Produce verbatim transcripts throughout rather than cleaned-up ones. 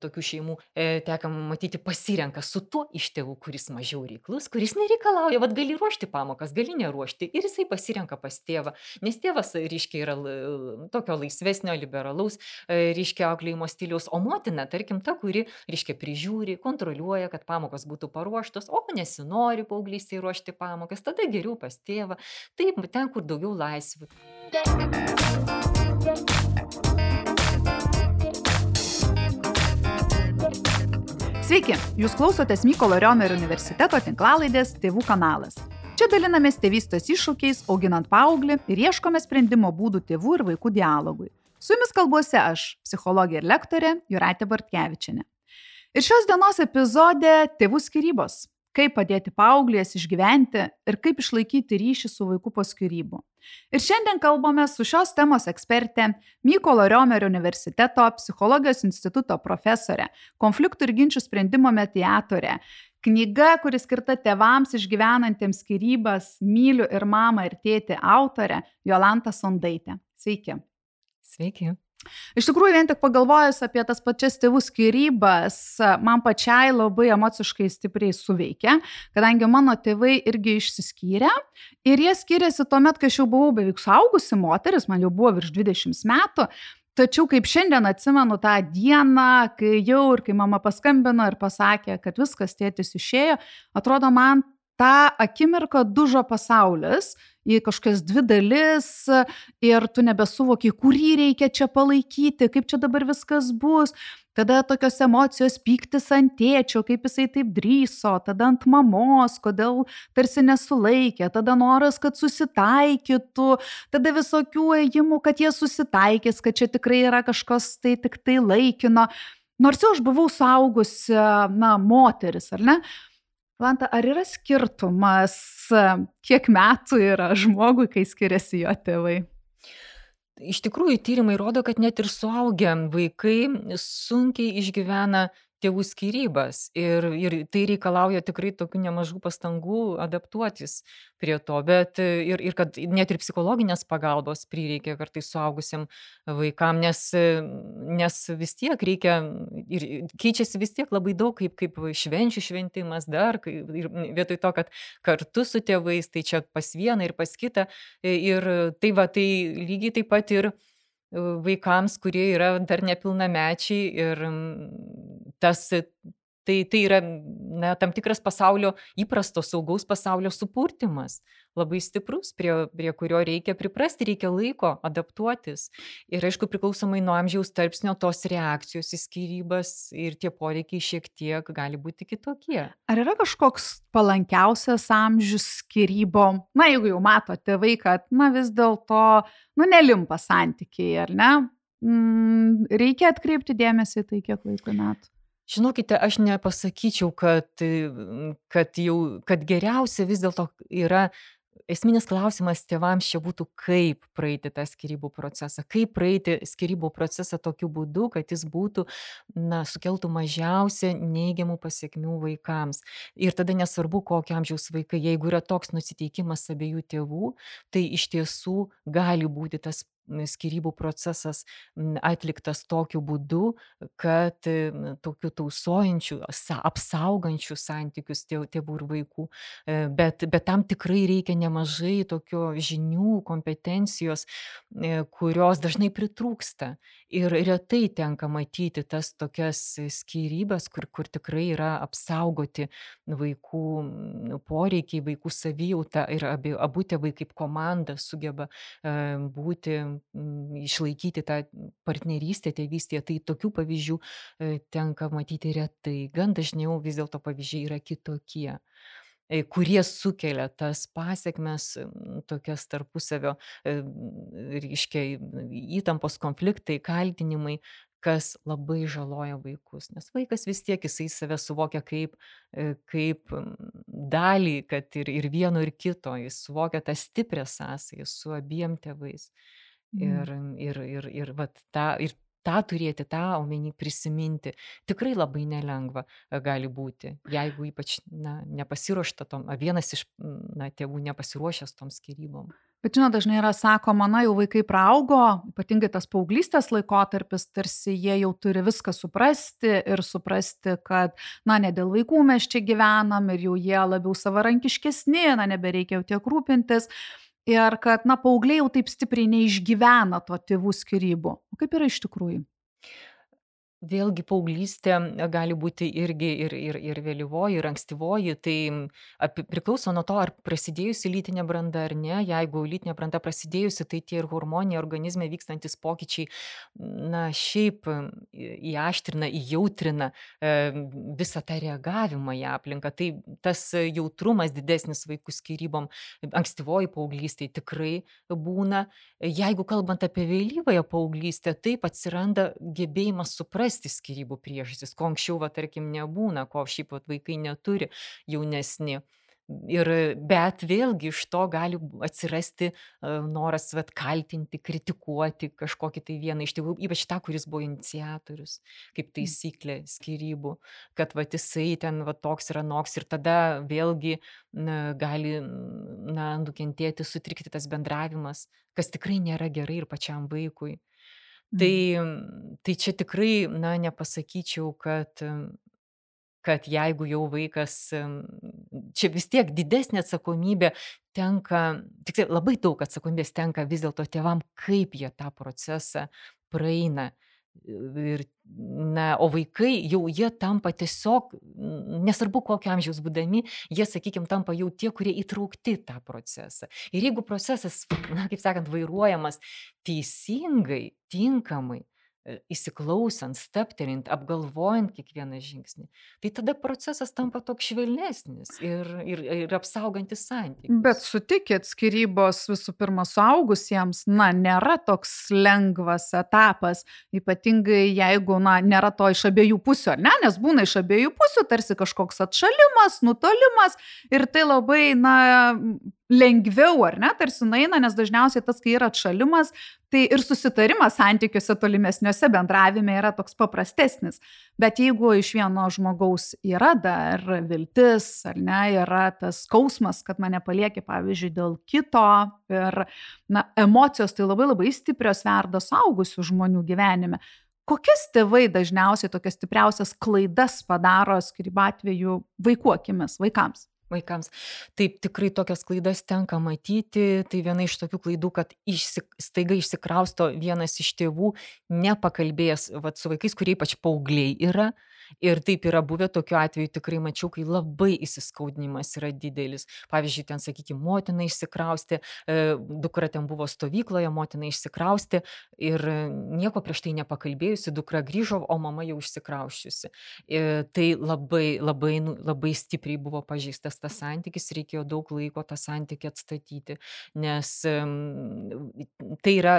tokių šeimų, e, teka matyti, pasirenka su tuo iš tėvų, kuris mažiau reiklus, kuris nereikalauja, vat gali ruošti pamokas, gali neruošti. Ir jisai pasirenka pas tėvą, nes tėvas, reiškia, yra l- tokio laisvesnio, liberalaus, e, reiškia, auklėjimo stiliaus, o motina, tarkim, ta, kuri, reiškia, prižiūri, kontroliuoja, kad pamokos būtų paruoštos, o nesinori paauglystėje ruošti pamokas, tada geriau pas tėvą. Taip, ten, kur daugiau laisvių. Sveiki, jūs klausotės Mykolo Riomerio universiteto tinklalaidės Tėvų kanalas. Čia dalinamės tėvystės iššūkiais, auginant paauglį ir ieškome sprendimo būdų tėvų ir vaikų dialogui. Su jumis kalbuosi aš, psichologė ir lektorė Jūratė Bartkevičienė. Ir šios dienos epizode tėvų skyrybos. Kaip padėti paauglės išgyventi ir kaip išlaikyti ryšį su vaiku po skyrybų. Ir šiandien kalbame su šios temos ekspertė, Mykolo Riomerio universiteto psichologijos instituto profesorė, konfliktų ir ginčių sprendimo mediatorė. Knyga, kuri skirta tėvams išgyvenantiems skyrybas, Myliu ir mamą ir tėtį autorė Jolanta Sondaitė. Sveiki. Sveiki. Iš tikrųjų, vien tik pagalvojus apie tas pačias tėvų skyrybas, man pačiai labai emociškai stipriai suveikia, kadangi mano tėvai irgi išsiskyrė ir jie skyrėsi tuomet, kai aš jau buvau beveik suaugusi moteris, man jau buvo virš dvidešimt metų, tačiau kaip šiandien atsimenu tą dieną, kai jau ir kai mama paskambino ir pasakė, kad viskas, tėtis išėjo, atrodo man tą akimirką dužo pasaulis į kažkokias dvi dalis ir tu nebesuvoki, kurį reikia čia palaikyti, kaip čia dabar viskas bus. Tada tokios emocijos, pyktis ant tėčio, kaip jisai taip drįso, tada ant mamos, kodėl tarsi nesulaikė, tada noras, kad susitaikytų, tada visokių ėjimų, kad jie susitaikys, kad čia tikrai yra kažkas tai tik tai laikino. Nors jau aš buvau suaugusi, na, moteris, ar ne? Jolanta, ar yra skirtumas, kiek metų yra žmogui, kai skiriasi jo tėvai? Iš tikrųjų, tyrimai rodo, kad net ir suaugę vaikai sunkiai išgyvena tėvų skyrybas ir, ir tai reikalauja tikrai tokių nemažų pastangų adaptuotis prie to, bet ir, ir kad net ir psichologinės pagalbos prireikia kartais suaugusiam vaikam, nes, nes vis tiek reikia ir keičiasi vis tiek labai daug, kaip, kaip švenčių šventimas dar, ir vietoj to, kad kartu su tėvais, tai čia pas vieną ir pas kitą, ir tai va, tai lygiai taip pat ir vaikams, kurie yra dar nepilnamečiai ir tas, tai, tai yra na, tam tikras pasaulio, įprasto saugaus pasaulio supurtimas, labai stiprus, prie, prie kurio reikia priprasti, reikia laiko adaptuotis. Ir aišku, priklausomai nuo amžiaus tarpsnio tos reakcijos į skyrybas ir tie poreikiai šiek tiek gali būti kitokie. Ar yra kažkoks palankiausias amžius skyrybom? Na, jeigu jau mato tėvai, kad, na, vis dėlto, nu, nelimpa santykiai, ar ne? Mm, reikia atkreipti dėmesį į tai, kiek vaikų metų. Žinokite, aš nepasakyčiau, kad, kad, jau, kad geriausia vis dėlto yra esminis klausimas tėvams čia būtų, kaip praeiti tą skyrybų procesą, kaip praeiti skyrybų procesą tokiu būdu, kad jis būtų, na, sukeltų mažiausia neigiamų pasiekmių vaikams. Ir tada nesvarbu, kokio amžiaus vaikai, jeigu yra toks nusiteikimas abiejų tėvų, tai iš tiesų gali būti tas skyrybų procesas atliktas tokiu būdu, kad tokiu tausojančių, apsaugančių santykius tėvų ir vaikų, bet, bet tam tikrai reikia nemažai tokio žinių, kompetencijos, kurios dažnai pritrūksta. Ir retai tenka matyti tas tokias skyrybas, kur, kur tikrai yra apsaugoti vaikų poreikiai, vaikų savijauta ir abi, abu tėvai kaip komanda sugeba būti, išlaikyti tą partnerystę tėvystėje. Tai tokių pavyzdžių tenka matyti retai. Gan dažniau vis dėlto pavyzdžiai yra kitokie, kurie sukelia tas pasiekmes, tokias tarpusavio, reiškia, įtampos, konfliktai, kaltinimai, kas labai žaloja vaikus. Nes vaikas vis tiek jisai save suvokia kaip, kaip dalį, kad ir, ir vieno, ir kito, jis suvokia tą stiprią sąsają su abiem tėvais. Ir, ir, ir, ir, vat, tą, ir tą turėti, tą omeny prisiminti, tikrai labai nelengva gali būti, jeigu ypač na, nepasiruošta tom, vienas iš na, tėvų nepasiruošęs tom skyrybom. Bet žinot, dažnai yra sakoma, na jau vaikai praaugo, ypatingai tas paauglystės laikotarpis, tarsi jie jau turi viską suprasti ir suprasti, kad, na, ne dėl vaikų mes čia gyvenam ir jau jie labiau savarankiškesni, na, nebereikia jau tiek rūpintis. Ir kad, na, paaugliai jau taip stipriai neišgyvena to tėvų skyrybų. O kaip yra iš tikrųjų? Vėlgi paauglystė gali būti irgi ir, ir, ir vėlyvoji, ir ankstyvoji, tai api- priklauso nuo to, ar prasidėjusi lytinė branda ar ne. Jeigu lytinė branda prasidėjusi, tai tie ir hormoniniai organizme vykstantis pokyčiai, na, šiaip į- įaštrina, įjautrina e, visą tą reagavimą į aplinką. Tai tas jautrumas didesnis vaikų skyrybom ankstyvoji paauglystė tikrai būna. Jeigu kalbant apie vėlyvąją paauglystę, taip atsiranda gebėjimas suprasti skyrybų priežastis, ko anksčiau, va, tarkim, nebūna, ko šiaip vat, vaikai neturi jaunesni. Ir, bet vėlgi iš to gali atsirasti e, noras vat, kaltinti, kritikuoti kažkokį tai vieną iš tėvų, ypač tą, kuris buvo iniciatorius, kaip taisyklė skyrybų, kad vat, jisai ten vat, toks yra noks ir tada vėlgi na, gali na, nukentėti, sutrikti tas bendravimas, kas tikrai nėra gerai ir pačiam vaikui. Tai, tai čia tikrai, na, nepasakyčiau, kad, kad jeigu jau vaikas, em, čia vis tiek didesnė atsakomybė tenka, tik labai daug atsakomybės tenka vis dėlto tėvam, kaip jie tą procesą praeina. Ir, na, o vaikai jau jie tampa tiesiog, n- nesvarbu kokio amžiaus būdami, jie, sakykime, tampa jau tie, kurie įtraukti į tą procesą. Ir jeigu procesas, na, kaip sakant, vairuojamas teisingai, tinkamai, e, įsiklausant, staptelint, apgalvojant kiekvieną žingsnį, tai tada procesas tampa toks švelnesnis ir, ir, ir apsaugantis santykius. Bet sutikit, skyrybos visų pirma suaugusiems, na, nėra toks lengvas etapas, ypatingai jeigu, na, nėra to iš abiejų pusių, ar ne, nes būna iš abiejų pusių tarsi kažkoks atšalimas, nutolimas ir tai labai, na, lengviau, ar ne, tarsi nueina, nes dažniausiai tas, kai yra atšalimas, tai ir susitarimas santykiuose tolimesniuose bendravime yra toks paprastesnis. Bet jeigu iš vieno žmogaus yra dar viltis, ar ne, yra tas skausmas, kad mane palieki, pavyzdžiui, dėl kito ir, na, emocijos tai labai labai stiprios verda suaugusių žmonių gyvenime. Kokias tėvai dažniausiai tokias stipriausias klaidas padaro skyrybų atveju vaikų akimis, vaikams? Vaikams. Taip, tikrai tokias klaidas tenka matyti. Tai viena iš tokių klaidų, kad išsi, staiga išsikrausto vienas iš tėvų, nepakalbėjęs vat, su vaikais, kurie ypač paaugliai yra. Ir taip yra buvę tokiu atveju, tikrai mačiau, kai labai įsiskaudinimas yra didelis. Pavyzdžiui, ten, sakykime, motina išsikraustė, e, dukra ten buvo stovykloje, motina išsikraustė ir nieko prieš tai nepakalbėjusi, dukra grįžo, o mama jau išsikrausčiusi. E, tai labai, labai, nu, labai stipriai buvo pažeistas tas santykis, reikėjo daug laiko tą santykį atstatyti, nes em, tai yra,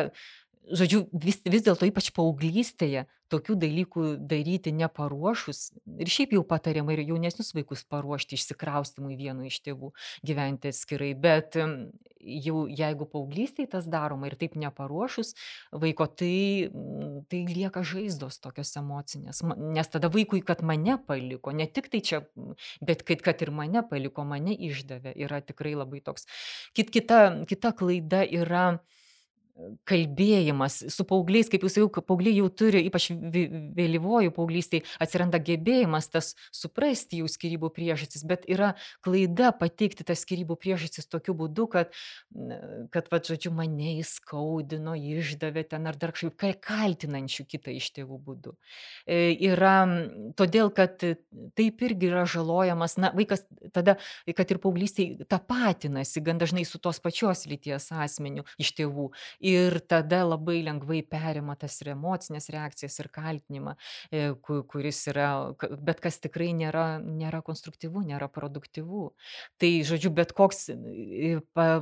žodžiu, vis, vis dėlto ypač paauglystėje tokių dalykų daryti neparuošus ir šiaip jau patariama ir jaunesnius vaikus paruošti išsikraustimui vienu iš tėvų, gyventi atskirai, bet em, jau jeigu paauglystėje tas daroma ir taip neparuošus vaiko, tai, mm, tai lieka žaizdos tokios emocinės, Ma- nes tada vaikui, kad mane paliko, ne tik tai čia, mm, bet kad, kad ir mane paliko, mane išdavė, yra tikrai labai toks. Kit, kita, kita klaida yra kalbėjimas su paaugliais, kaip jūs jau, paaugliai jau turi, ypač vė- vėlyvojų paauglystėje, atsiranda gebėjimas tas suprasti jų skyrybų priežastis, bet yra klaida pateikti tas skyrybų priežastis tokiu būdu, kad, n- kad va, žodžiu, mane įskaudino, išdavė ten ar dar kažkaip ka- kaltinančių kitą iš tėvų būdu. E, Yra m, todėl, kad e, taip irgi yra žalojamas, na, vaikas tada, kad ir paauglystėje tapatinasi gan dažnai su tos pačios lyties asmeniu iš tėvų. Ir tada labai lengvai perima tas ir emocinės reakcijas ir kaltinimą, e, ku- kuris yra, ka- bet kas tikrai nėra, nėra konstruktyvu, nėra produktyvu. Tai, žodžiu, bet koks e, pa-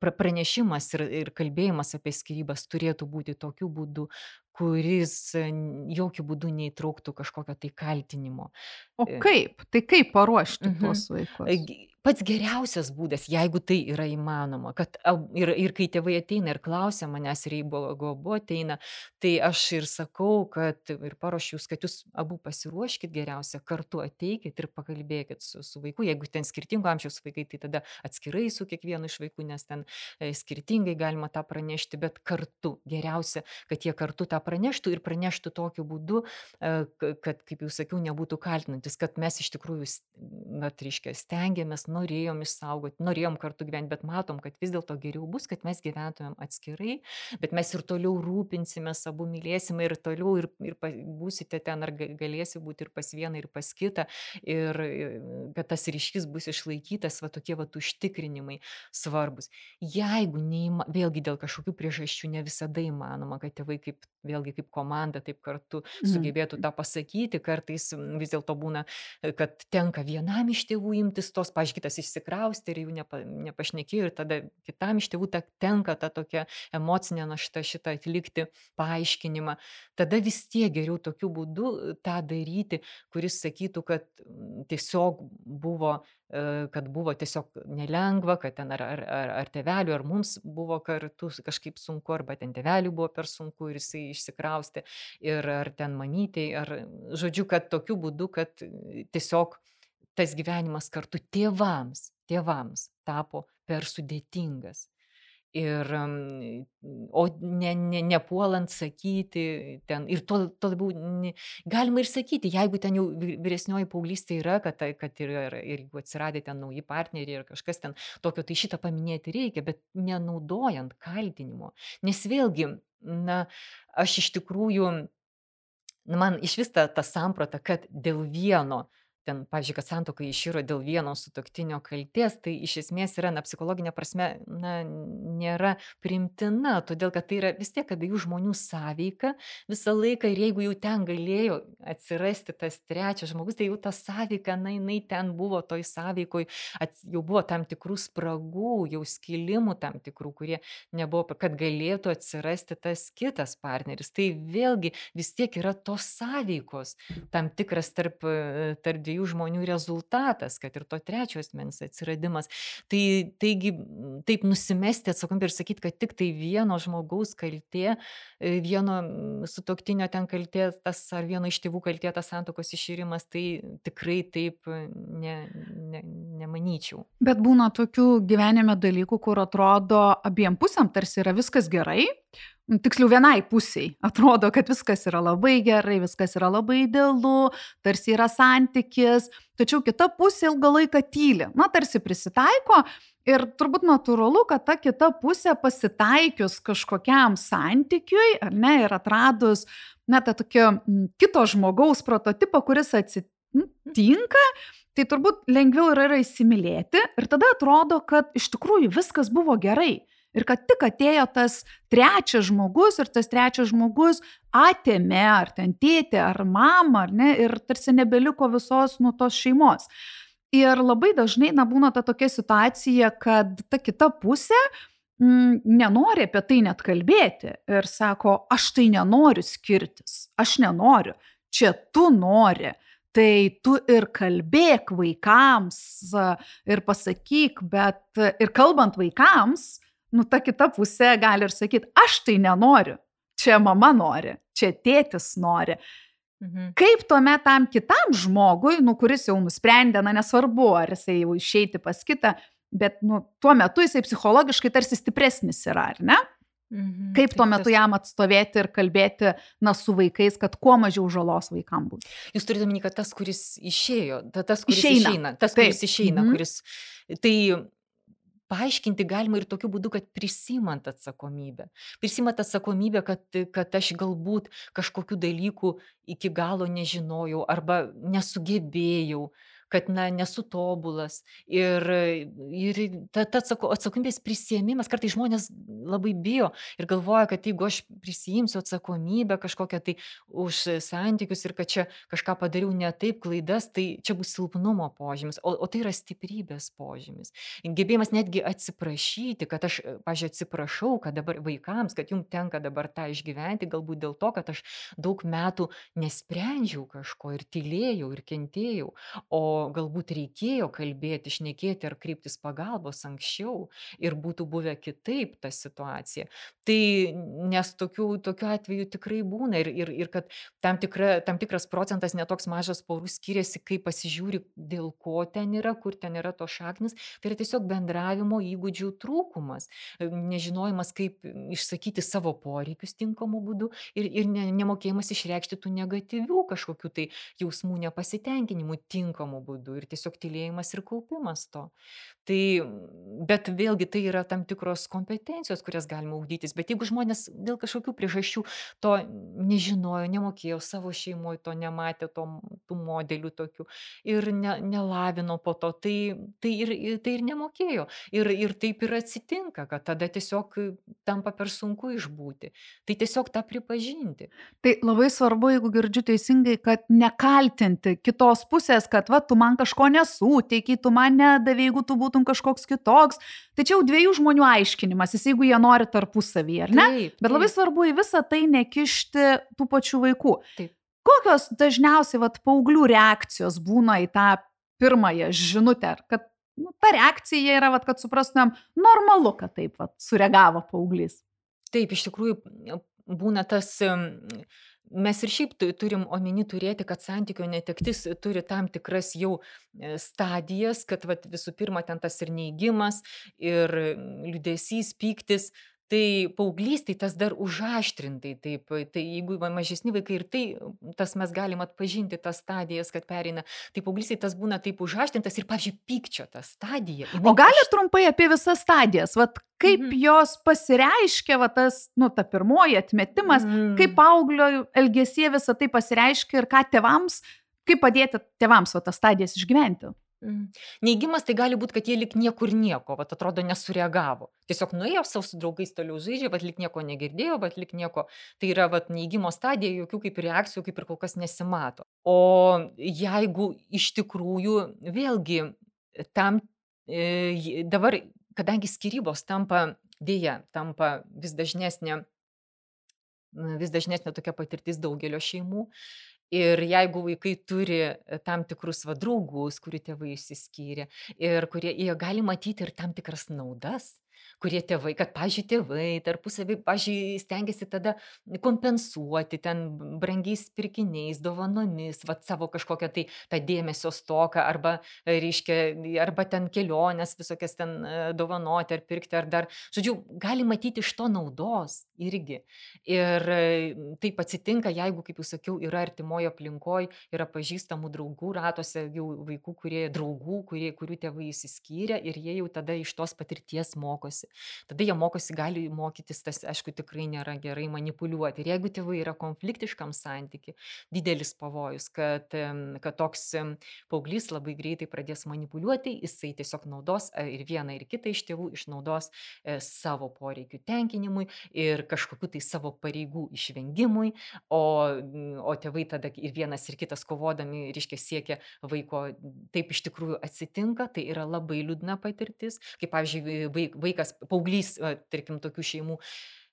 pra- pranešimas ir, ir kalbėjimas apie skyrybas turėtų būti tokiu būdu, kuris e, n- jokių būdų neįtrauktų kažkokio tai kaltinimo. O E, kaip? Tai kaip paruošti Mhm. tuos vaikus? Gi- pats geriausias būdas, jeigu tai yra įmanoma, kad ab ir ir kai tėvai ateina ir klausia manęs, ir jeigu abu ateina, tai aš ir sakau, kad ir paruošiu jūs, kad jūs abu pasiruoškit geriausia, kartu ateikit ir pakalbėkit su su vaiku. Jeigu ten skirtingo amžiaus vaikai, tai tada atskirai su kiekvienu iš vaikų, nes ten e, skirtingai galima tą pranešti, bet kartu geriausia, kad jie kartu tą praneštų ir praneštų tokiu būdu, e, k- kad, kaip jau sakiau, nebūtų kaltinantis, kad mes iš tikrųjų, s- vat, reiškia, stengiamės, norėjom išsaugoti, norėjom kartu gyventi, bet matom, kad vis dėlto geriau bus, kad mes gyventumėm atskirai, bet mes ir toliau rūpinsimės, abu mylėsime ir toliau ir, ir pa- būsite ten, ar ga- galėsi būti ir pas vieną, ir pas kitą, ir e, kad tas ryšys bus išlaikytas, va tokie va užtikrinimai svarbus. Jeigu neįma, vėlgi dėl kažkokių priežasčių ne visada įmanoma, kad tėvai kaip, vėlgi kaip komanda, taip kartu Mhm. sugebėtų tą pasakyti, kartais m, vis dėlto būna, e, kad tenka vienam iš tėvų imtis tos, pažiūrėk, kitas išsikraustė ir jų nepa, nepašnekėjo, ir tada kitam iš tėvų ta, tenka ta tokia emocinė našta šitą atlikti, paaiškinimą. Tada vis tiek geriau tokiu būdu e, tą daryti, kuris sakytų, kad mm, tiesiog buvo, e, kad buvo tiesiog nelengva, kad ten ar, ar, ar, ar tėvelių, ar mums buvo kartu s- kažkaip sunku, arba ten tėvelių buvo per sunku ir jisai išsikraustė, ir ar ten mamytei, ar žodžiu, kad tokiu būdu, kad e, tiesiog tas gyvenimas kartu tėvams, tėvams tapo per sudėtingas. Ir, am, o ne, ne, nepuolant sakyti ten, ir to, to labiau, ne- galima ir sakyti, jeigu ten jau vy- vyresnioji paauglystė yra, kad, tai- kad ir, ir, ir jeigu atsiradė ten nauji partneriai ir kažkas ten tokio, tai šitą paminėti reikia, bet nenaudojant kaltinimo. Nes vėlgi, na, aš iš tikrųjų, nu, man išvis ta, ta samprata, kad dėl vieno, ten, pavyzdžiui, kad santuoka iširo dėl vieno sutuoktinio kalties, tai iš esmės yra, na, psichologinė prasme, na, nėra primtina, todėl kad tai yra vis tiek abiejų žmonių sąveika visą laiką, ir jeigu jau ten galėjo atsirasti tas trečias žmogus, tai jau ta sąveika, na, jinai ten buvo toj sąveikoj, ats- jau buvo tam tikrų spragų, jau skilimų tam tikrų, kurie nebuvo, kad galėtų atsirasti tas kitas partneris. Tai vėlgi vis tiek yra tos sąveikos, tam tikras tarp, e, tarp dviejų žmonių rezultatas, kad ir to trečio asmens atsiradimas. Tai taigi m, taip nusimesti atsakomybę ir sakyti, kad tik tai vieno žmogaus kaltė, e, vieno mm, sutuoktinio ten kaltė, tas ar vieno iš tėvų kaltė, tas santuokos iširimas, tai tikrai taip e, ne, ne, nemanyčiau. Bet būna tokių gyvenime dalykų, kur atrodo abiem pusėm tarsi yra viskas gerai. M, Tiksliau, vienai pusiai atrodo, kad viskas yra labai gerai, viskas yra labai idealu, tarsi yra santykis, tačiau kita pusė ilgą laiką tyli, na, tarsi prisitaiko ir turbūt natūralu, kad ta kita pusė pasitaikius kažkokiam santykiui, ar ne, ir atradus, na, tą tokio m, kito žmogaus prototipą, kuris atsitinka, tai turbūt lengviau yra, yra įsimylėti ir tada atrodo, kad iš tikrųjų viskas buvo gerai. Ir kad tik atėjo tas trečias žmogus ir tas trečias žmogus atėmė ar ten tėtė ar mama, ar ne, ir tarsi nebeliko visos nu tos šeimos. Ir labai dažnai na, būna ta tokia situacija, kad ta kita pusė mm, nenori apie tai net kalbėti ir sako, aš tai nenoriu skirtis, aš nenoriu, čia tu nori. Tai tu ir kalbėk vaikams a, ir pasakyk, bet a, ir kalbant vaikams, nu ta kita pusė gali ir sakyti, aš tai nenoriu, čia mama nori, čia tėtis nori. Mhm. Kaip tuomet tam kitam žmogui, nu, kuris jau nusprendė, na nesvarbu, ar jisai jau išeiti pas kitą, bet nu, tuo metu jisai psichologiškai tarsi stipresnis yra, ar ne? Mhm. Kaip tuo Taip, metu tas- jam atstovėti ir kalbėti, na, su vaikais, kad kuo mažiau žalos vaikam būtų. Jūs turite omeny, kad tas, kuris išėjo, ta- tas, kuris Išeina. išeina, tas, Taip. kuris išeina, Mhm. kuris, tai paaiškinti galima ir tokiu būdu, kad prisimant atsakomybę. Prisimant atsakomybę, kad, kad aš galbūt kažkokių dalykų iki galo nežinojau arba nesugebėjau, kad, na, nesu tobulas. Ir, ir ta, ta atsako, atsakomybės prisėmimas, kartais žmonės labai bijo ir galvoja, kad jeigu aš prisijimsiu atsakomybę kažkokią tai už santykius ir kad čia kažką padariau ne taip, klaidas, tai čia bus silpnumo požymis, o, o tai yra stiprybės požymis. Gebėjimas netgi atsiprašyti, kad aš, pažiūrėjau, atsiprašau, kad dabar vaikams, kad jums tenka dabar tą išgyventi, galbūt dėl to, kad aš daug metų nesprendžiau kažko ir tylėjau ir kentėjau, o galbūt reikėjo kalbėti, šnekėti ar kreiptis pagalbos anksčiau ir būtų buvę kitaip ta situacija. Tai nes tokių, tokių atvejų tikrai būna ir, ir, ir kad tam, tikra, tam tikras procentas netoks mažas porų skiriasi, kai pasižiūri, dėl ko ten yra, kur ten yra to šaknis, tai yra tiesiog bendravimo įgūdžių trūkumas, nežinojimas, kaip išsakyti savo poreikius tinkamu būdu ir, ir ne, nemokėjimas išreikšti tų negatyvių kažkokių tai jausmų nepasitenkinimų tinkamu būdu ir tiesiog tylėjimas ir kaupimas to. Tai, bet vėlgi tai yra tam tikros kompetencijos, kurias galima ugdytis, bet jeigu žmonės dėl kažkokių priežasčių to nežinojo, nemokėjo, savo šeimoje to nematė, to, tų modelių tokių ir ne, nelavino po to, tai, tai, ir, ir- tai ir nemokėjo. Ir, ir taip ir atsitinka, kad tada tiesiog tampa per sunku išbūti. Tai tiesiog tą pripažinti. Tai labai svarbu, jeigu girdžiu teisingai, kad nekaltinti kitos pusės, kad va, tu man kažko nesuteiki, tu man nedavė, jeigu tu būtum kažkoks kitoks. Tai čia jau dviejų žmonių aiškinimasis, jeigu jie nori tarpusavį, ar ne? Taip, Bet labai taip, svarbu į visą tai nekišti tų pačių vaikų. taip. Kokios dažniausiai vat, paauglių reakcijos būna į tą pirmąją žinutę? Ar kad nu, ta reakcija yra, vat, kad suprastumėm, normalu, kad taip vat, sureagavo paauglys. Taip, iš tikrųjų būna tas, em, mes ir šiaip tu- turim omeny turėti, kad santykio netektis turi tam tikras jau e, stadijas, kad vat, visų pirma ten tas ir neigimas, ir mm, liūdesys, pyktis. Tai paauglystėj tas dar užaštrintai, taip, tai jeigu va mažesni vaikai ir tai, tas mes galim atpažinti tas stadijas, kad pereina, tai paauglystėj tas būna taip užaštrintas ir, pavyzdžiui, pykčio ta stadija. O jinai gali aš- trumpai apie visas stadijas, vat, kaip Mhm. jos pasireiškia, vat, tas, nu, ta pirmoji atmetimas, Mm. kaip paauglio elgesie visą tai pasireiškia ir ką tėvams, kaip padėti tėvams vat, tas stadijas išgyventi. Mm. Neigimas tai gali būti, kad jie lik niekur nieko, vat atrodo nesureagavo. Tiesiog nuėjo savo su draugais toliau žaidžia, vat lik nieko negirdėjo, vat lik nieko. Tai yra vat neigimo stadija, jokių kaip reakcijų kaip ir kol kas nesimato. O jeigu iš tikrųjų vėlgi tam e, j- dabar, kadangi skyrybos tampa, dėja, tampa vis dažnesnė na, vis dažnesnė tokia patirtis daugelio šeimų. Ir jeigu vaikai turi e, tam tikrus va draugus, kurių tėvai išsiskyrė ir kurie jie gali matyti ir tam tikras naudas, kurie tėvai, kad, pažiūrėjau, tėvai tarpusavį, pažiūrėjau, stengiasi tada kompensuoti ten brangiais pirkiniais, dovanomis, va savo kažkokią tai tą dėmesio stoką arba, e, reiškia, arba ten keliones visokias ten e, dovanoti ar pirkti ar dar. Žodžiu, gali matyti iš to naudos irgi. Ir e, taip atsitinka, jeigu, kaip jau sakiau, yra artimoje aplinkoje, yra pažįstamų draugų ratuose, jau vaikų, kurie draugų, kurie, kurių tėvai įsiskyrė ir jie jau tada iš tos patirties mokosi. Tada jie mokosi, gali mokytis, tas, aišku, tikrai nėra gerai manipuliuoti. Ir jeigu tėvai yra konfliktiškam santyki, didelis pavojus, kad, em, kad toks em, paauglys labai greitai pradės manipuliuoti, jisai tiesiog naudos e, ir vieną, ir kitą iš tėvų išnaudos e, savo poreikių tenkinimui ir kažkokiu tai savo pareigų išvengimui, o, mm, o tėvai tada ir vienas ir kitas kovodami, reiškia, siekia vaiko, taip iš tikrųjų atsitinka, tai yra labai liūdna patirtis, kaip, pavyzdžiui, vaik- vaikas, paauglys, e, tarkim, tokių šeimų,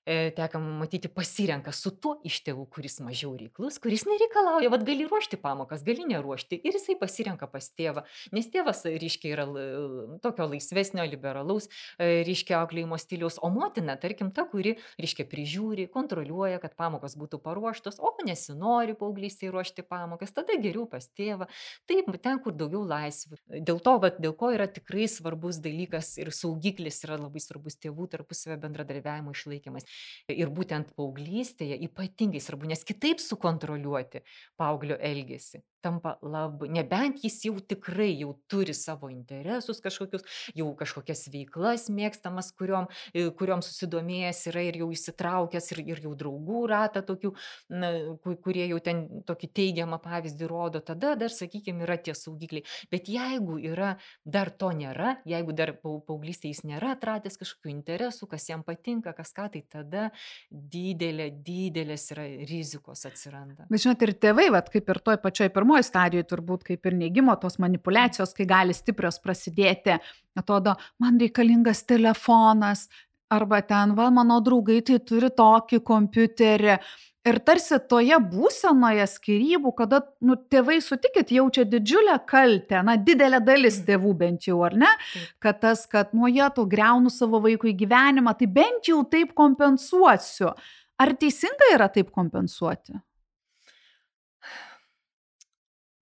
e, teka matyti, pasirenka su tuo iš tėvų, kuris mažiau reiklus, kuris nereikalauja, vad gali ruošti pamokas, gali neruošti ir jisai pasirenka pas tėvą, nes tėvas, reiškia, yra l- tokio laisvesnio, liberalaus, e, reiškia, auklėjimo stiliaus, o motina, tarkim, ta, kuri, reiškia, prižiūri, kontroliuoja, kad pamokos būtų paruoštos, o nesinori paauglystėje ruošti pamokas, tada geriau pas tėvą, taip, ten, kur daugiau laisvių. Dėl to, vat, dėl ko yra tikrai svarbus dalykas ir saugiklis yra labai svarbus tėvų tarpusavio bendradarbiavimo išlaikymas. Ir būtent paauglystėje ypatingai svarbu, nes kitaip sukontroliuoti paauglio elgesį tampa labai, nebent jis jau tikrai jau turi savo interesus kažkokius, jau kažkokias veiklas mėgstamas, kuriom, e, kuriom susidomėjęs yra ir jau įsitraukęs ir, ir jau draugų ratą tokių, na, ku- kurie jau ten tokį teigiamą pavyzdį rodo, tada dar, sakykime, yra tie saugikliai. Bet jeigu yra, dar to nėra, jeigu dar pau- paauglystėje jis nėra atradęs kažkokių interesų, kas jam patinka, kas ką, tai tada didelė, didelės yra rizikos atsiranda. Bet žinot, ir tėvai, vat, kaip ir toj pačioj pirmoji stadijoje, turbūt kaip ir neigimo, tos manipulacijos, kai gali stiprios prasidėti, atrodo, man reikalingas telefonas, arba ten, va, mano draugai tai turi tokį kompiuterį. Ir tarsi toje būsenoje skyrybų, kada nu, tėvai sutikit jaučia didžiulę kaltę, na, didelė dalis tėvų bent jau, ar ne, Taip. kad tas, kad nuo jie to greunu savo vaikui gyvenimą, tai bent jau taip kompensuosiu. Ar teisinga yra taip kompensuoti?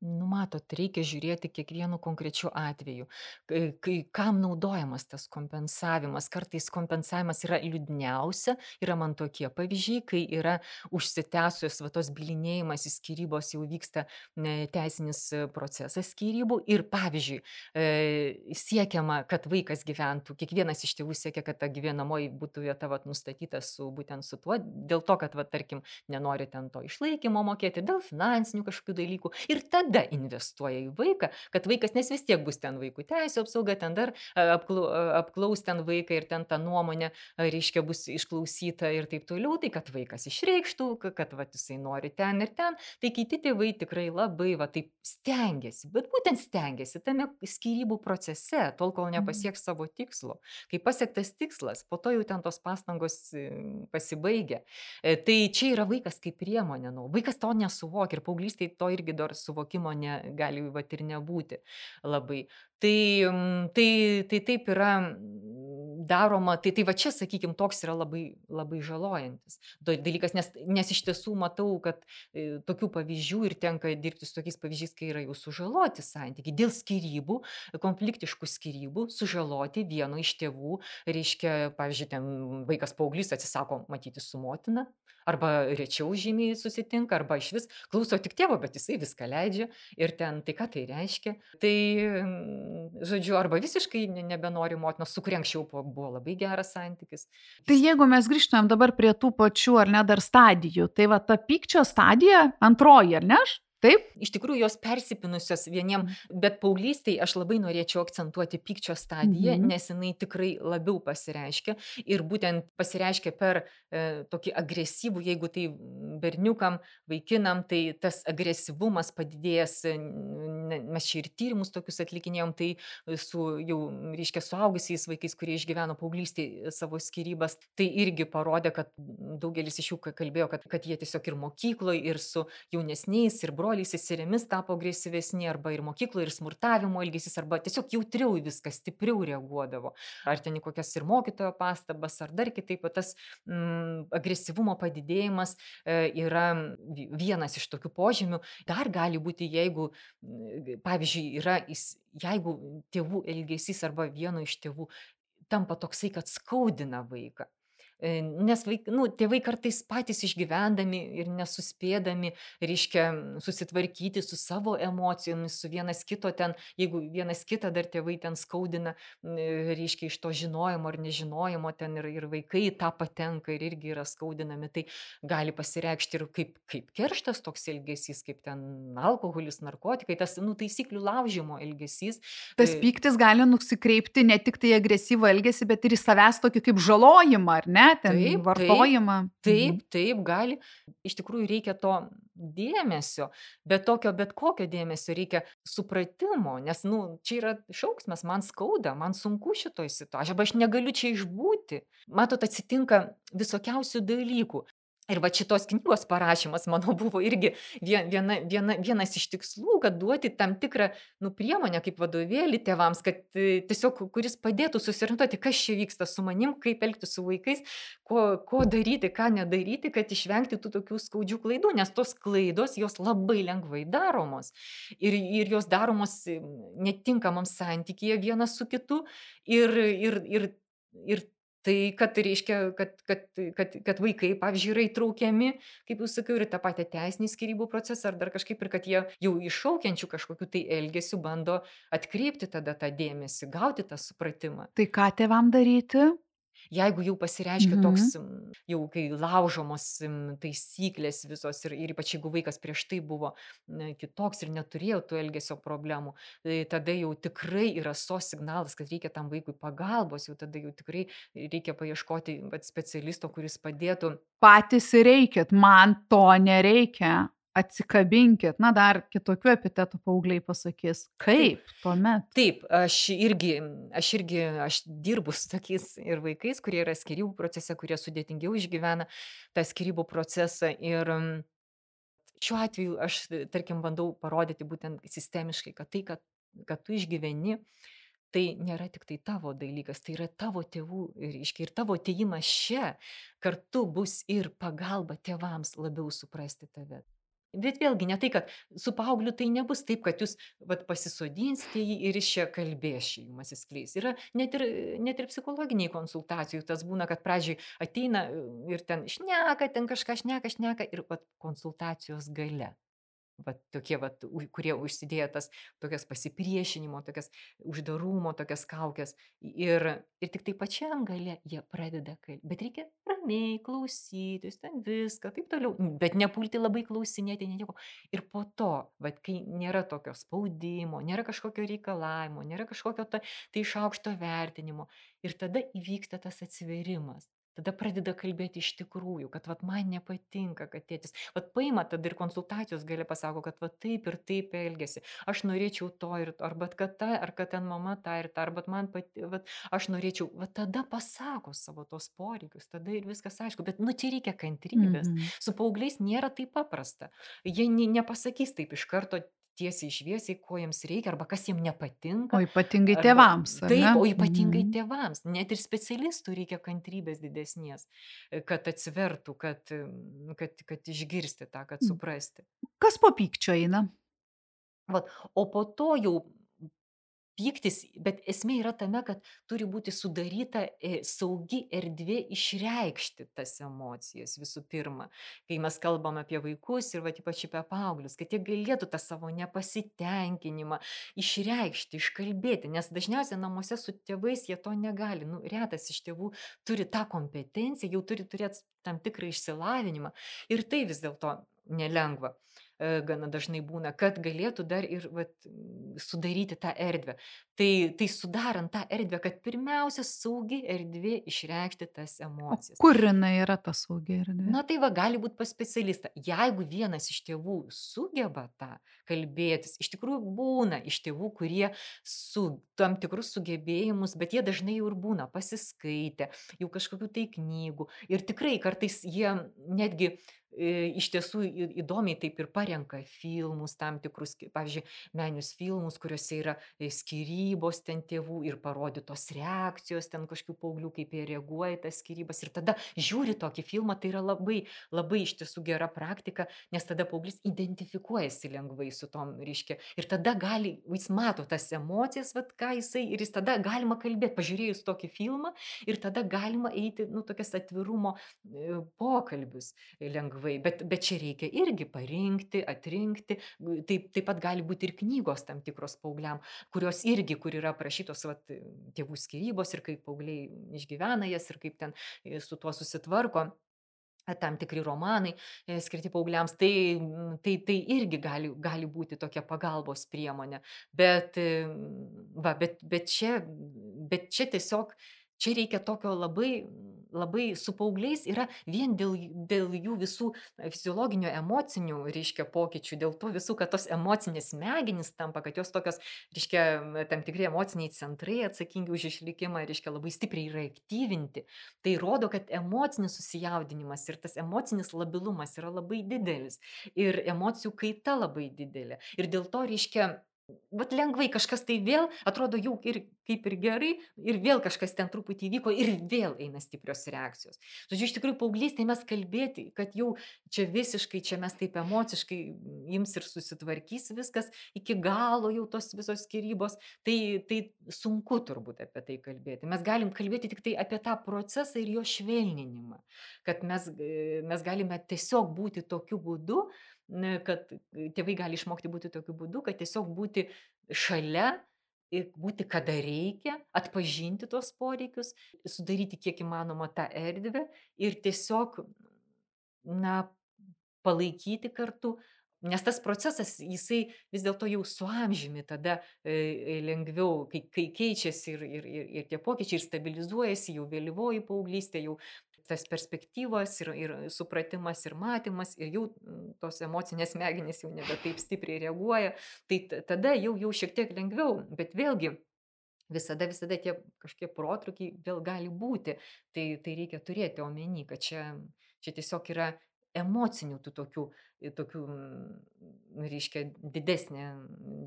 Nu, matot, reikia žiūrėti kiekvienu konkrečiu atveju, kai, kai kam naudojamas tas kompensavimas. Kartais kompensavimas yra liūdniausia, yra man tokie pavyzdžiai, kai yra užsitęsus va tos bylinėjimas į skyrybos, jau vyksta ne, teisinis e, procesas skyrybų ir pavyzdžiui, e, siekiama, kad vaikas gyventų, kiekvienas iš tėvų siekia, kad ta gyvenamoji būtų vieta vat, nustatyta su būtent su tuo, dėl to, kad, va, tarkim, nenori ten to išlaikymo mokėti, dėl finansinių kažkokių dalykų. Ir tada investuoja į vaiką, kad vaikas, nes vis tiek bus ten vaikų teisų apsauga, ten dar a, apklau, a, apklaus ten vaiką ir ten ta nuomonė, a, reiškia, bus išklausyta ir taip toliau, tai kad vaikas išreikštų, ka- kad va, jisai nori ten ir ten. Tai kiti tėvai tikrai labai va, taip stengiasi, bet būtent stengiasi tame skyrybų procese, tol kol nepasieks savo tikslo. Kai pasiektas tikslas, po to jau ten tos pastangos e, pasibaigia. E, Tai čia yra vaikas kaip priemonė. Nu. Vaikas to nesuvokia ir paauglystėje to irgi dar suvokimo ne, gali vat, ir nebūti labai. Tai, mm, tai, tai taip yra mm, daroma, tai, tai va čia, sakykime, toks yra labai, labai žalojantis da- dalykas, nes, nes iš tiesų matau, kad e, tokių pavyzdžių ir tenka dirbti su tokiais pavyzdžiais, kai yra jau sužaloti santykiai dėl skyrybų, konfliktiškų skyrybų, sužaloti vieno iš tėvų, reiškia, pavyzdžiui, ten vaikas paauglys atsisako matyti su motina, arba rečiau žymiai susitinka, arba iš vis klauso tik tėvo, bet jisai viską leidžia ir ten, tai ką tai reiškia. Tai, mm, žodžiu, arba visiškai ne- nebenori motinos, su kuria anksčiau po- buvo labai geras santykis. Tai jeigu mes grįžtumėm dabar prie tų pačių, ar ne, dar stadijų, tai va ta pykčio stadija, antroji, ar ne? Taip? Iš tikrųjų, jos persipinusios vieniem, bet paauglystėje aš labai norėčiau akcentuoti pykčio stadiją, Mhm. nes jinai tikrai labiau pasireiškia ir būtent pasireiškia per e, tokį agresyvų, jeigu tai berniukam, vaikinam, tai tas agresyvumas padidėjęs, e, ne- mes čia ir tyrimus tokius atlikinėjom, tai su jau, reiškia, suaugusiais vaikais, kurie išgyveno paauglystėje savo skyrybas, tai irgi parodė, kad daugelis iš jų ka- kalbėjo, kad, kad jie tiesiog ir mokykloje, ir su jaunesniais, ir broliais, seserimis tapo agresyvesni, arba ir mokykloje, ir smurtavimo elgesys, arba tiesiog jautriau į viską, stipriau reaguodavo. Ar ten į kokias ir mokytojo pastabas, ar dar kitaip, o tas mm, agresyvumo padidėjimas e, yra vi- vienas iš tokių požymių. Dar gali būti, jeigu, mm, pavyzdžiui, yra, jis- jeigu tėvų elgesys arba vieno iš tėvų tampa toksai, kad skaudina vaiką. E, Nes vaik, nu, tėvai kartais patys išgyvendami ir nesuspėdami, reiškia, susitvarkyti su savo emocijomis, su vienas kito ten, jeigu vienas kitą dar tėvai ten skaudina, m, e, reiškia, iš to žinojimo ar nežinojimo ten ir, ir vaikai į tą patenka ir irgi yra skaudinami, tai gali pasireikšti ir kaip, kaip kerštas toks elgesys, kaip ten alkoholis, narkotikai, tas, nu, taisyklių laužimo elgesys. Tas E, pyktis gali nusikreipti ne tik tai agresyvų elgesį, bet ir į savęs tokį kaip žalojimą, ar ne, ten Taip, taip, vartojimą. Mhm. taip, taip, gali. Iš tikrųjų reikia to dėmesio, bet tokio, bet kokio dėmesio reikia supratimo, nes, nu, čia yra šauksmas, man skauda, man sunku šitoj situacijoje, arba aš negaliu čia išbūti. Matot, atsitinka visokiausių dalykų. Ir va šitos knygos parašymas, manau, buvo irgi vie- viena, viena, vienas iš tikslų, kad duoti tam tikrą nu, priemonę kaip vadovėlį tėvams, kad e, tiesiog, kuris padėtų susiorientuoti, kas čia vyksta su manim, kaip elgtis su vaikais, ko, ko daryti, ką nedaryti, kad išvengti tų tokių skaudžių klaidų, nes tos klaidos jos labai lengvai daromos. Ir, ir jos daromos e, netinkamam santykyje vienas su kitu. Ir, ir, ir, ir tai, kad reiškia, kad, kad, kad, kad vaikai, pavyzdžiui, yra įtraukiami, kaip jau sakiau, ir į tą patį teisinį skyrybų procesą, ar dar kažkaip, ir kad jie jau iššaukiančių kažkokiu tai elgesiu bando atkreipti tada tą dėmesį, gauti tą supratimą. Tai ką tėvam daryti? Jeigu jau pasireiškia Mhm. toks, mm, jau kai laužomos mm, taisyklės visos ir, ir ypač jeigu vaikas prieš tai buvo mm, kitoks ir neturėjo tų elgesio problemų, tai tada jau tikrai yra sos signalas, kad reikia tam vaikui pagalbos, jau tada jau tikrai reikia paieškoti vat, specialisto, kuris padėtų. Patys ir reikit, man to nereikia. Atsikabinkit, na dar kitokių epitetų paaugliai pasakys. Taip, Kaip tuomet? taip, aš irgi, aš irgi, aš dirbu su tokiais ir vaikais, kurie yra skyrybų procese, kurie sudėtingiau išgyvena tą skyrybų procesą. Ir mm, šiuo atveju aš, tarkim, bandau parodyti būtent sistemiškai, kad tai, kad, kad tu išgyveni, tai nėra tik tai tavo dalykas, tai yra tavo tėvų, ir, reiškia, ir tavo atėjimas čia kartu bus ir pagalba tėvams labiau suprasti tave. Bet vėlgi ne tai, kad su paaugliu tai nebus taip, kad jūs vat, pasisodinsite jį ir iš čia kalbės šį jums atsiskleis. Yra net ir, net ir psichologiniai konsultacijų, tas būna, kad pradžiai ateina ir ten šneka, ten kažką šneka, šneka ir vat, konsultacijos gale. Vat tokie, vat, u- kurie užsidėjo tas tokias pasipriešinimo, tokias uždarumo, tokias kaukės. Ir, ir tik tai pačiam gale jie pradeda kalbėti. Bet reikia ramiai klausytis, ten viską, taip toliau. Bet nepulti labai klausinėti, nieko. Ir po to, vat, kai nėra tokio spaudimo, nėra kažkokio reikalavimo, nėra kažkokio ta, tai iš aukšto vertinimo. Ir tada įvyksta tas atsiverimas. Tada pradeda kalbėti iš tikrųjų, kad vat, man nepatinka, kad tėtis. Vat paima tada ir konsultacijos gali pasako, kad vat, taip ir taip elgesi. Aš norėčiau to ir to, arba kad ta, ar kad ten mama tą ir tą, arba man pati, vat, aš norėčiau, vat tada pasako savo tos poreikius, tada ir viskas aišku. Bet nu čia reikia kantrybės. Mhm. Su paaugliais nėra taip paprasta. Jie ne, nepasakys taip iš karto tiesiai šviesiai, ko jiems reikia, arba kas jiems nepatinka. O ypatingai Arba, tėvams, ar ne? taip, o ypatingai Mhm. tėvams. Net ir specialistų reikia kantrybės didesnės, e, kad atsivertų, kad, mm, kad, kad išgirsti tą, kad suprasti. Kas po pykčio eina? Vat, o po to jau pyktis, bet esmė yra tame, kad turi būti sudaryta e, saugi erdvė išreikšti tas emocijas visų pirma. Kai mes kalbam apie vaikus ir va, ypač apie paauglius, kad jie galėtų tą savo nepasitenkinimą išreikšti, iškalbėti, nes dažniausiai namuose su tėvais jie to negali. Nu, retas iš tėvų turi tą kompetenciją, jau turi turėti tam tikrą išsilavinimą ir tai vis dėlto nelengva. e, Gana dažnai būna, kad galėtų dar ir vat, m, sudaryti tą erdvę. Tai, tai sudarant tą erdvę, kad pirmiausia saugi erdvė išreikšti tas O emocijas. kur jinai yra ta saugi erdvė? Na tai va, gali būti pas specialistą. Jeigu vienas iš tėvų sugeba tą kalbėtis, iš tikrųjų būna iš tėvų, kurie su tam tikrus sugebėjimus, bet jie dažnai jau ir būna pasiskaitę, jau kažkokių tai knygų. Ir tikrai kartais jie netgi e, iš tiesų į- įdomiai taip ir parenka filmus, tam tikrus, ki- pavyzdžiui, meninius filmus, kuriuose yra e, skyrybos ten tėvų ir parodytos reakcijos ten kažkokių paauglių, kaip jie reaguoja į tas skyrybas. Ir tada žiūri tokį filmą, tai yra labai, labai iš tiesų gera praktika, nes tada paauglys identifikuojasi lengvai su tom, reiškia. Ir tada gali, jis mato tas emocijas, vat, ką jisai, ir jis tada galima kalbėti, pažiūrėjus tokį filmą, ir tada galima eiti, nu, tokias atvirumo e, pokalbius lengvai. Bet, bet čia reikia irgi parinkti, atrinkti. Taip, taip pat gali būti ir knygos tam tikros paaugliam, kurios irgi, kur yra aprašytos vat, tėvų skyrybos ir kaip paaugliai išgyvena jas ir kaip ten e, su tuo susitvarko. a, Tam tikri romanai e, skirti paaugliams, tai, mm, tai, tai irgi gali, gali būti tokia pagalbos priemonė. Bet, e, va, bet, bet, čia, bet čia tiesiog, čia reikia tokio labai, labai su paaugliais yra vien dėl, dėl jų visų fiziologinių, emocinių, reiškia, pokyčių, dėl to visų, kad tos emocinės smegenys tampa, kad jos tokios, reiškia, tam tikri emociniai centrai atsakingi už išlikimą, reiškia, labai stipriai yra aktyvinti. Tai rodo, kad emocinis susijaudinimas ir tas emocinis labilumas yra labai didelis. Ir emocijų kaita labai didelė. Ir dėl to, reiškia, vat lengvai kažkas tai vėl atrodo jau ir kaip ir gerai, ir vėl kažkas ten truputį įvyko, ir vėl eina stiprios reakcijos. Žodžiu, iš tikrųjų, paauglystėje mes kalbėti, kad jau čia visiškai, čia mes taip emociškai ims ir susitvarkys viskas, iki galo jau tos visos skyrybos, tai, tai sunku turbūt apie tai kalbėti. Mes galim kalbėti tik tai apie tą procesą ir jo švelninimą, kad mes, e, mes galime tiesiog būti tokiu būdu, n- kad tėvai gali išmokti būti tokiu būdu, kad tiesiog būti šalia ir būti kada reikia, atpažinti tuos poreikius, sudaryti kiek įmanoma tą erdvę ir tiesiog, na, palaikyti kartu. Nes tas procesas, jisai vis dėlto jau su amžiumi tada e, e, lengviau, kai, kai keičiasi ir, ir, ir, ir tie pokyčiai ir stabilizuojasi, jau vėlyvoji paauglystė, jau tas perspektyvos ir, ir supratimas ir matymas ir jau tos emocinės smegenys jau nebe taip stipriai reaguoja, tai tada jau, jau šiek tiek lengviau, bet vėlgi visada, visada tie kažkokie protrukiai vėl gali būti, tai, tai reikia turėti omeny, kad čia, čia tiesiog yra emocinių tų tokių, tokių, reiškia, didesnė,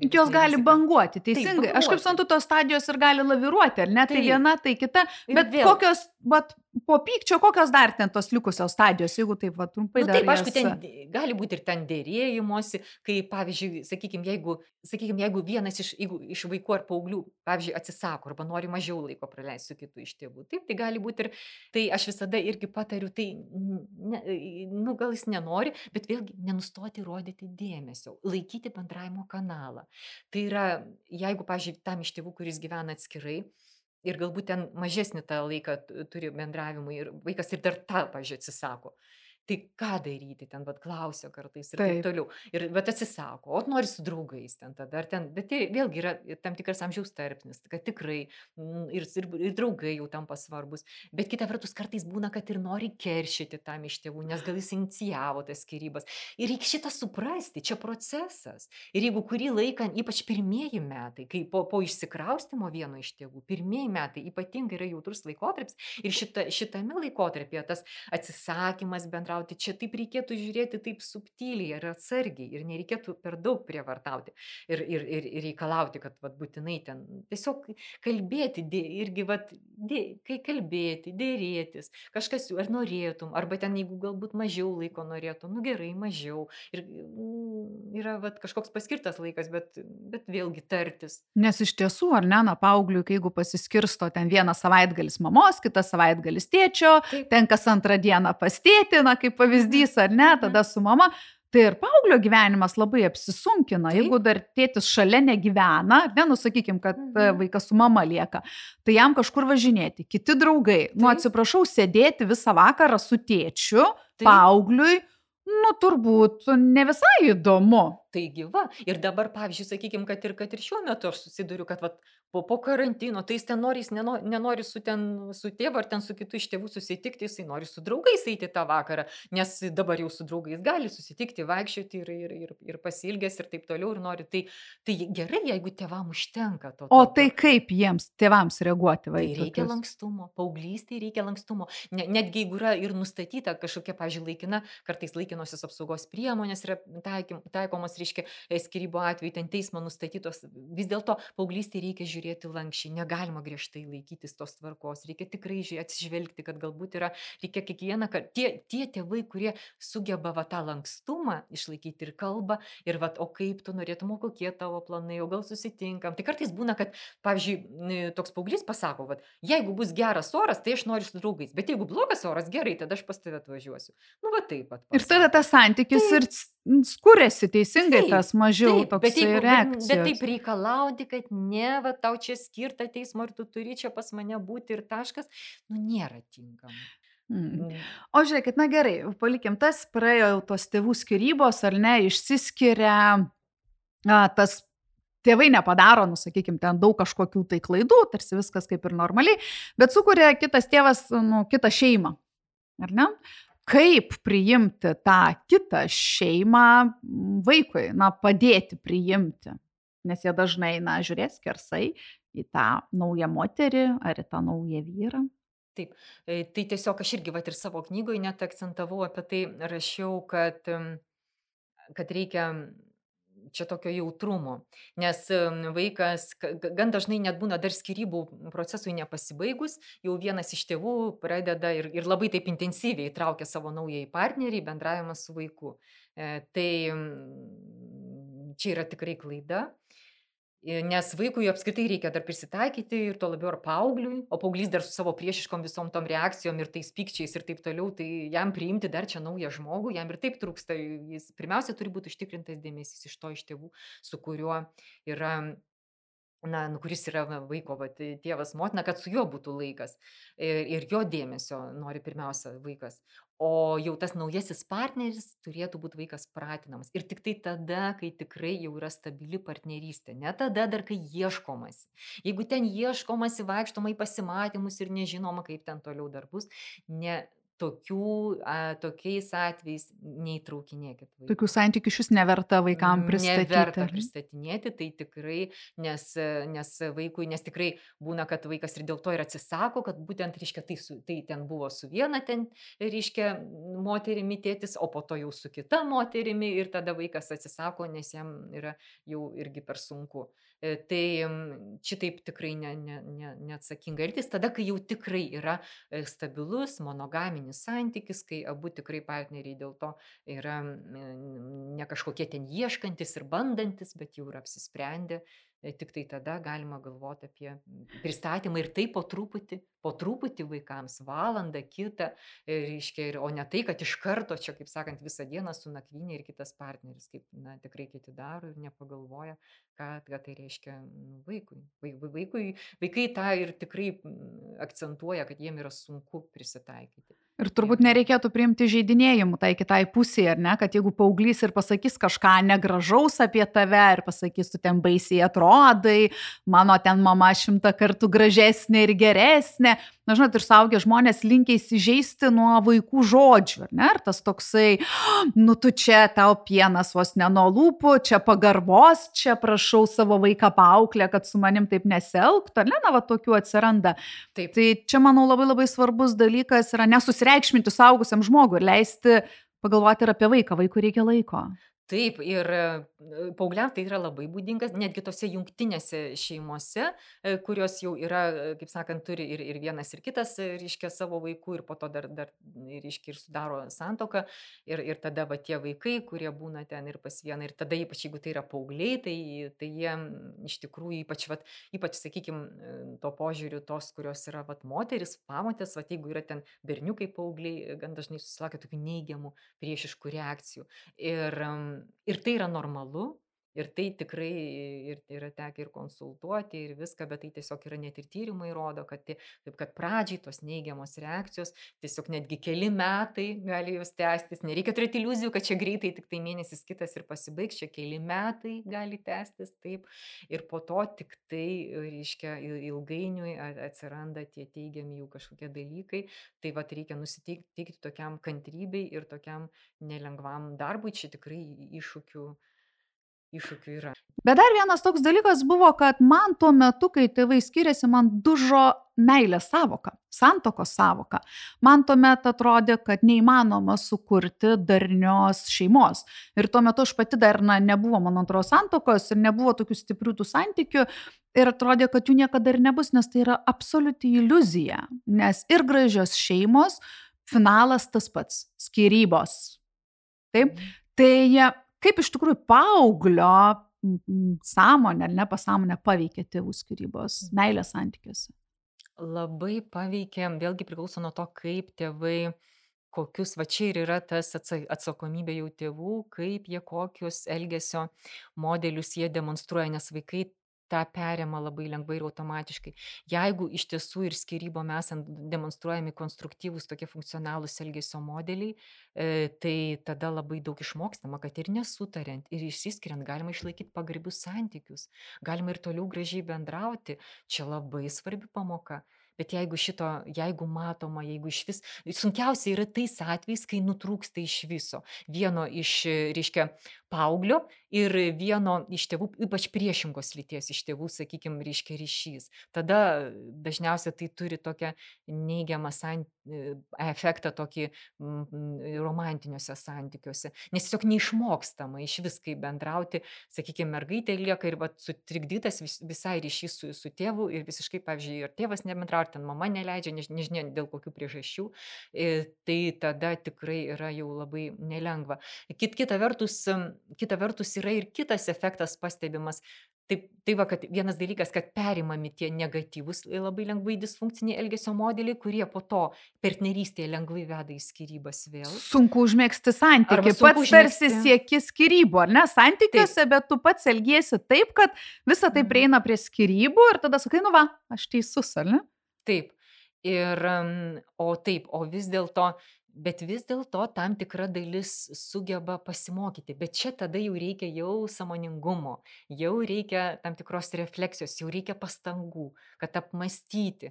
Jos didesnė gali rizika. banguoti, Taip, teisingai. Aš kaip banguoti. suprantu, tos stadijos ir gali laviruoti, ar ne? Tai Taip. viena, tai kita. Ir Bet vėl. kokios, vat, po pykčio, kokios dar ten tos likusios stadijos, jeigu taip, va, trumpai Nu, dar taip, aišku, jas... ten d- gali būti ir ten dėrėjimosi, kai, pavyzdžiui, sakykime, jeigu, sakykime, jeigu vienas iš, jeigu iš vaikų ar paauglių, pavyzdžiui, atsisako arba nori mažiau laiko praleisti su kitu iš tėvų. Taip, tai gali būti ir, tai aš visada irgi patariu, tai, ne, nu, gal jis nenori, bet vėlgi nenustoti rodyti dėmesio, laikyti bendravimo kanalą. Tai yra, jeigu, pavyzdžiui, tam iš tėvų, kuris gyvena atskirai, ir galbūt ten mažesnį tą laiką t- turi bendravimui ir vaikas ir dar tą, pavyzdžiui, atsisako. Tai ką daryti, ten, bet klausia kartais ir taip Taip. toliau. Ir, bet atsisako, o nori su draugais ten tada, ar ten, bet tai vėlgi yra tam tikras amžiaus tarpsnis, kad tikrai mm, ir, ir, ir draugai jau tampa svarbus. Bet kita vertus, kartais būna, kad ir nori keršyti tam iš tėvų, nes gal jis inicijavo tas skyrybas. Ir reikia šitą suprasti, čia procesas. Ir jeigu kurį laiką, ypač pirmieji metai, kai po, po išsikraustimo vieno iš tėvų, pirmieji metai ypatingai yra jautrus laikotarpis ir šita, šitame laikotarpyje tas atsisakymas bendrauti, čia taip reikėtų žiūrėti taip subtiliai ir atsargiai ir nereikėtų per daug prievartauti ir, ir, ir, ir reikalauti, kad vat, būtinai ten tiesiog kalbėti, dė, irgi vat, dė, kai kalbėti, dėrėtis, kažkas, ar norėtum, arba ten jeigu galbūt mažiau laiko norėtum, nu gerai, mažiau. Ir mm, yra vat, kažkoks paskirtas laikas, bet, bet vėlgi tartis. Nes iš tiesų, ar ne, na, paaugliui, kai jeigu pasiskirsto ten vieną savaitgalis mamos, kitas savaitgalis tėčio, Taip. ten kas antrą dieną pas tėtį, na, kaip pavyzdys, ar ne, tada su mama, tai ir paauglio gyvenimas labai apsisunkina. Taip. Jeigu dar tėtis šalia negyvena, nenusakykim, kad e, Mhm. vaikas su mama lieka, tai jam kažkur važinėti, kiti draugai, nu, Taip. atsiprašau, sėdėti visą vakarą su tėčiu, Taip. paaugliui, nu, turbūt ne visai įdomu. Taigi va, ir dabar, pavyzdžiui, sakykime, kad ir, kad ir šiuo metu aš susiduriu, kad vat, po, po karantino, tai jis ten nori, jis nenori, nenori su, ten, su tėvu ar ten su kitu iš tėvų susitikti, jisai nori su draugais eiti tą vakarą, nes dabar jau su draugais gali susitikti, vaikščioti ir, ir, ir, ir pasilgęs ir taip toliau ir nori. Tai, tai gerai, jeigu tėvam užtenka to. O tokio. tai kaip jiems, tėvams reaguoti Tai vaikui? reikia lankstumo, paauglystėje reikia lankstumo. Ne, netgi jeigu yra ir nustatyta kažkokia, pavyzdžiui, laikina, kartais laikinosios apsaugos priemonės yra taikim, taikomos, reiškia, e, skyrybų atveju, ten teismo nustatytos, vis dėlto paauglystėje reikia žiūrėti lankščiai, negalima griežtai laikytis tos tvarkos, reikia tikrai žiūrėti, atsižvelgti, kad galbūt yra, reikia kiekvieną kartą, tie, tie tėvai, kurie sugeba va, tą lankstumą išlaikyti ir kalbą, ir va, o kaip tu norėtum, o kokie tavo planai, o gal susitinkam. Tai kartais būna, kad, pavyzdžiui, n- toks paauglys pasako, va, jeigu bus geras oras, tai aš noriu su draugais, bet jeigu blogas oras, gerai, tada aš pas tave atvažiuosiu. Nu, va taip pat. Ir tada pasako. tas santykis Taip. ir s- skuriasi teisingai, Taip, tas mažiau Taip, bet, toksai jeigu, bet, reakcijos. bet taip reikalauti, kad ne, va, tau čia skirta teismo ir tu turi čia pas mane būti ir taškas, nu nėra tinkama. Mm. Mm. O žiūrėkit, na gerai, palikim tas, praėjo jau tos tėvų skirybos, ar ne, išsiskiria, a, tas tėvai nepadaro, nu, sakykime, ten daug kažkokių tai klaidų, tarsi viskas kaip ir normaliai, bet sukuria kitas tėvas, nu, kitą šeimą, ar ne? Kaip priimti tą kitą šeimą m, vaikui, na, padėti priimti, nes jie dažnai, na, žiūrės skersai į tą naują moterį ar į tą naują vyrą. Taip, e, tai tiesiog aš irgi vat, ir savo knygoje net akcentavau apie tai, rašiau, kad, em, kad reikia čia tokio jautrumo, nes em, vaikas ka- ga- gan dažnai net būna dar skyrybų procesui nepasibaigus, jau vienas iš tėvų pradeda ir, ir labai taip intensyviai įtraukia savo naująjį partnerį į bendravimą su vaiku. E, Tai em, čia yra tikrai klaida. I- Nes vaikui apskritai reikia dar prisitaikyti ir to labiau ar paaugliui, o paauglys dar su savo priešiškom visom tom reakcijom ir tais pykčiais ir taip toliau, tai jam priimti dar čia naują žmogų, jam ir taip trūksta, jis pirmiausia turi būti užtikrintas dėmesys iš to iš tėvų, su kuriuo yra, na, nu, kuris yra va, vaiko va, tai tėvas, motina, kad su juo būtų laikas ir, ir jo dėmesio nori pirmiausia vaikas. O jau tas naujasis partneris turėtų būti vaikas pratinamas. Ir tik tai tada, kai tikrai jau yra stabili partnerystė. Ne tada dar, kai ieškomasi. Jeigu ten ieškomasi, vaikštoma į pasimatymus ir nežinoma, kaip ten toliau dar bus, ne, tokių, a, tokiais atvejais neįtraukinėkit Tokių vaikų. santykių iš vis neverta vaikam pristatyti, Neverta ar ne? pristatinėti, tai tikrai, nes, nes vaikui, nes tikrai būna, kad vaikas ir dėl to ir atsisako, kad būtent, reiškia, tai, su, tai ten buvo su viena ten, reiškia, moterimi tėtis, o po to jau su kita moterimi ir tada vaikas atsisako, nes jam yra jau irgi per sunku. E, Tai mm, šitaip tikrai ne, ne, ne, neatsakinga elgtis, tada, kai jau tikrai yra e, stabilus monogaminis santykis, kai abu tikrai partneriai dėl to yra mm, ne kažkokie ten ieškantis ir bandantis, bet jau yra apsisprendę. E, Tik tai tada galima galvoti apie mm, pristatymą ir tai po truputį, po truputį vaikams, valandą, kitą, e, reiškia, ir, o ne tai, kad iš karto čia, kaip sakant, visą dieną su nakvynė ir kitas partneris, kaip na, tikrai kiti daro ir nepagalvoja, ką, ką tai reiškia nu, vaikui. Vai- vai- Vaikui. Vaikai tą ir tikrai mm, akcentuoja, kad jiem yra sunku prisitaikyti. Ir turbūt Ir nereikėtų priimti žaidinėjimų tai kitai pusėje, ar ne, kad jeigu paauglys ir pasakys kažką negražaus apie tave ir pasakys, tu ten baisiai atrodai, mano ten mama šimtą kartų gražesnė ir geresnė, na žinot, ir suaugę žmonės linkia įsižeisti nuo vaikų žodžių, ar ne, ir tas toksai, nu tu čia tau pienas vos ne nuo lūpų, čia pagarbos, čia prašau savo vaiką paauklę, kad su manim taip nesielgtų, ar ne, na va tokių atsiranda. taip, Tai čia, manau, labai labai svarbus dalykas yra nesusireikšminti suaugusiam žmogui ir leisti pagalvoti ir apie vaiką. Vaikui reikia laiko. Taip, ir e, paaugliams tai yra labai būdingas, netgi tose jungtinėse šeimose, e, kurios jau yra, e, kaip sakant, turi ir, ir vienas, ir kitas, e, reiškia, savo vaikų ir po to dar, dar reiškia, ir sudaro santoką. Ir, ir tada va tie vaikai, kurie būna ten ir pas vieną, ir tada ypač jeigu tai yra paaugliai, tai, tai jie mm, iš tikrųjų ypač, vat, ypač sakykime, to požiūriu tos, kurios yra vat, moteris, pamotės, vat, jeigu yra ten berniukai paaugliai, gan dažnai susilaukia tokių neigiamų priešiškų reakcijų. Ir, em, ir tai yra normalu, ir tai tikrai ir yra tekę ir konsultuoti, ir viską, bet tai tiesiog yra net ir tyrimai rodo, kad, tie, taip, kad pradžiai tos neigiamos reakcijos, tiesiog netgi keli metai gali jos tęstis. Nereikia turėti iliuzijų, kad čia greitai tik tai mėnesis kitas ir pasibaigs, čia keli metai gali tęstis, taip. Ir po to tik tai, reiškia, il- ilgainiui a- atsiranda tie teigiami jau kažkokie dalykai. Tai va reikia nusiteikti tokiam kantrybei ir tokiam nelengvam darbui, čia tikrai iššūkių, iššūkių yra. Bet dar vienas toks dalykas buvo, kad man tuo metu, kai tėvai skiriasi, man dužo meilės savoka, santokos savoka. Man tuomet atrodė, kad neįmanoma sukurti darnios šeimos. Ir tuo metu aš pati dar na, nebuvo mano antros santokos ir nebuvo tokių stiprių tų santykių. Ir atrodė, kad jų niekada ir nebus, nes tai yra absoliuti iliuzija. Nes ir gražios šeimos, finalas tas pats - skyrybos. Taip? Tai e, kaip iš tikrųjų paauglio m, m, sąmonę, ar ne pasąmonę paveikia tėvų skyrybos, meilės santykiuose? Labai paveikia, vėlgi priklauso nuo to, kaip tėvai, kokius, va čia ir yra tas atsa- atsakomybė jau tėvų, kaip jie kokius elgesio modelius jie demonstruoja, nes vaikai tą perima labai lengvai ir automatiškai. Jeigu iš tiesų ir skyrybom esant demonstruojami konstruktyvūs tokie funkcionalūs elgesio modeliai, e, tai tada labai daug išmokstama, kad ir nesutariant, ir išsiskiriant galima išlaikyti pagarbius santykius, galima ir toliau gražiai bendrauti. Čia labai svarbi pamoka. Bet jeigu šito, jeigu matoma, jeigu iš vis, sunkiausia yra tais atvejais, kai nutrūksta iš viso. Vieno iš, e, reiškia, paauglio ir vieno iš tėvų, ypač priešingos lyties iš tėvų, sakykime, reiškia ryšys. Tada dažniausiai tai turi tokią neigiamą san, e, efektą tokį mm, mm, romantiniuose santykiuose. Nes tiesiog neišmokstama iš vis kaip bendrauti, sakykime, mergaitė lieka ir vat, sutrikdytas vis, visai ryšys su, su tėvu ir visiškai, pavyzdžiui, ir tėvas nebendrauja, ar ten mama neleidžia, než- nežinia dėl kokių priežasčių, e, tai tada tikrai yra jau labai nelengva. Kit, kita, vertus, em, kita vertus yra ir kitas efektas pastebimas. Taip, tai va, kad vienas dalykas, kad perimami tie negatyvus, e, labai lengvai disfunkciniai elgesio modeliai, kurie po to partnerystėje lengvai veda į skyrybas vėl. Sunku užmėgsti Arba santykių. sunku Pats tarsi užmegzti. sieki skyrybų, ar ne, santykiuose, bet tu pats elgiesi taip, kad visa tai Mhm. prieina prie skyrybų ir tada sakai, nu va, aš teisus, ar ne? Taip. Ir, em, o taip, o vis dėlto, bet vis dėlto tam tikra dalis sugeba pasimokyti. Bet čia tada jau reikia jau sąmoningumo, jau reikia tam tikros refleksijos, jau reikia pastangų, kad apmastyti.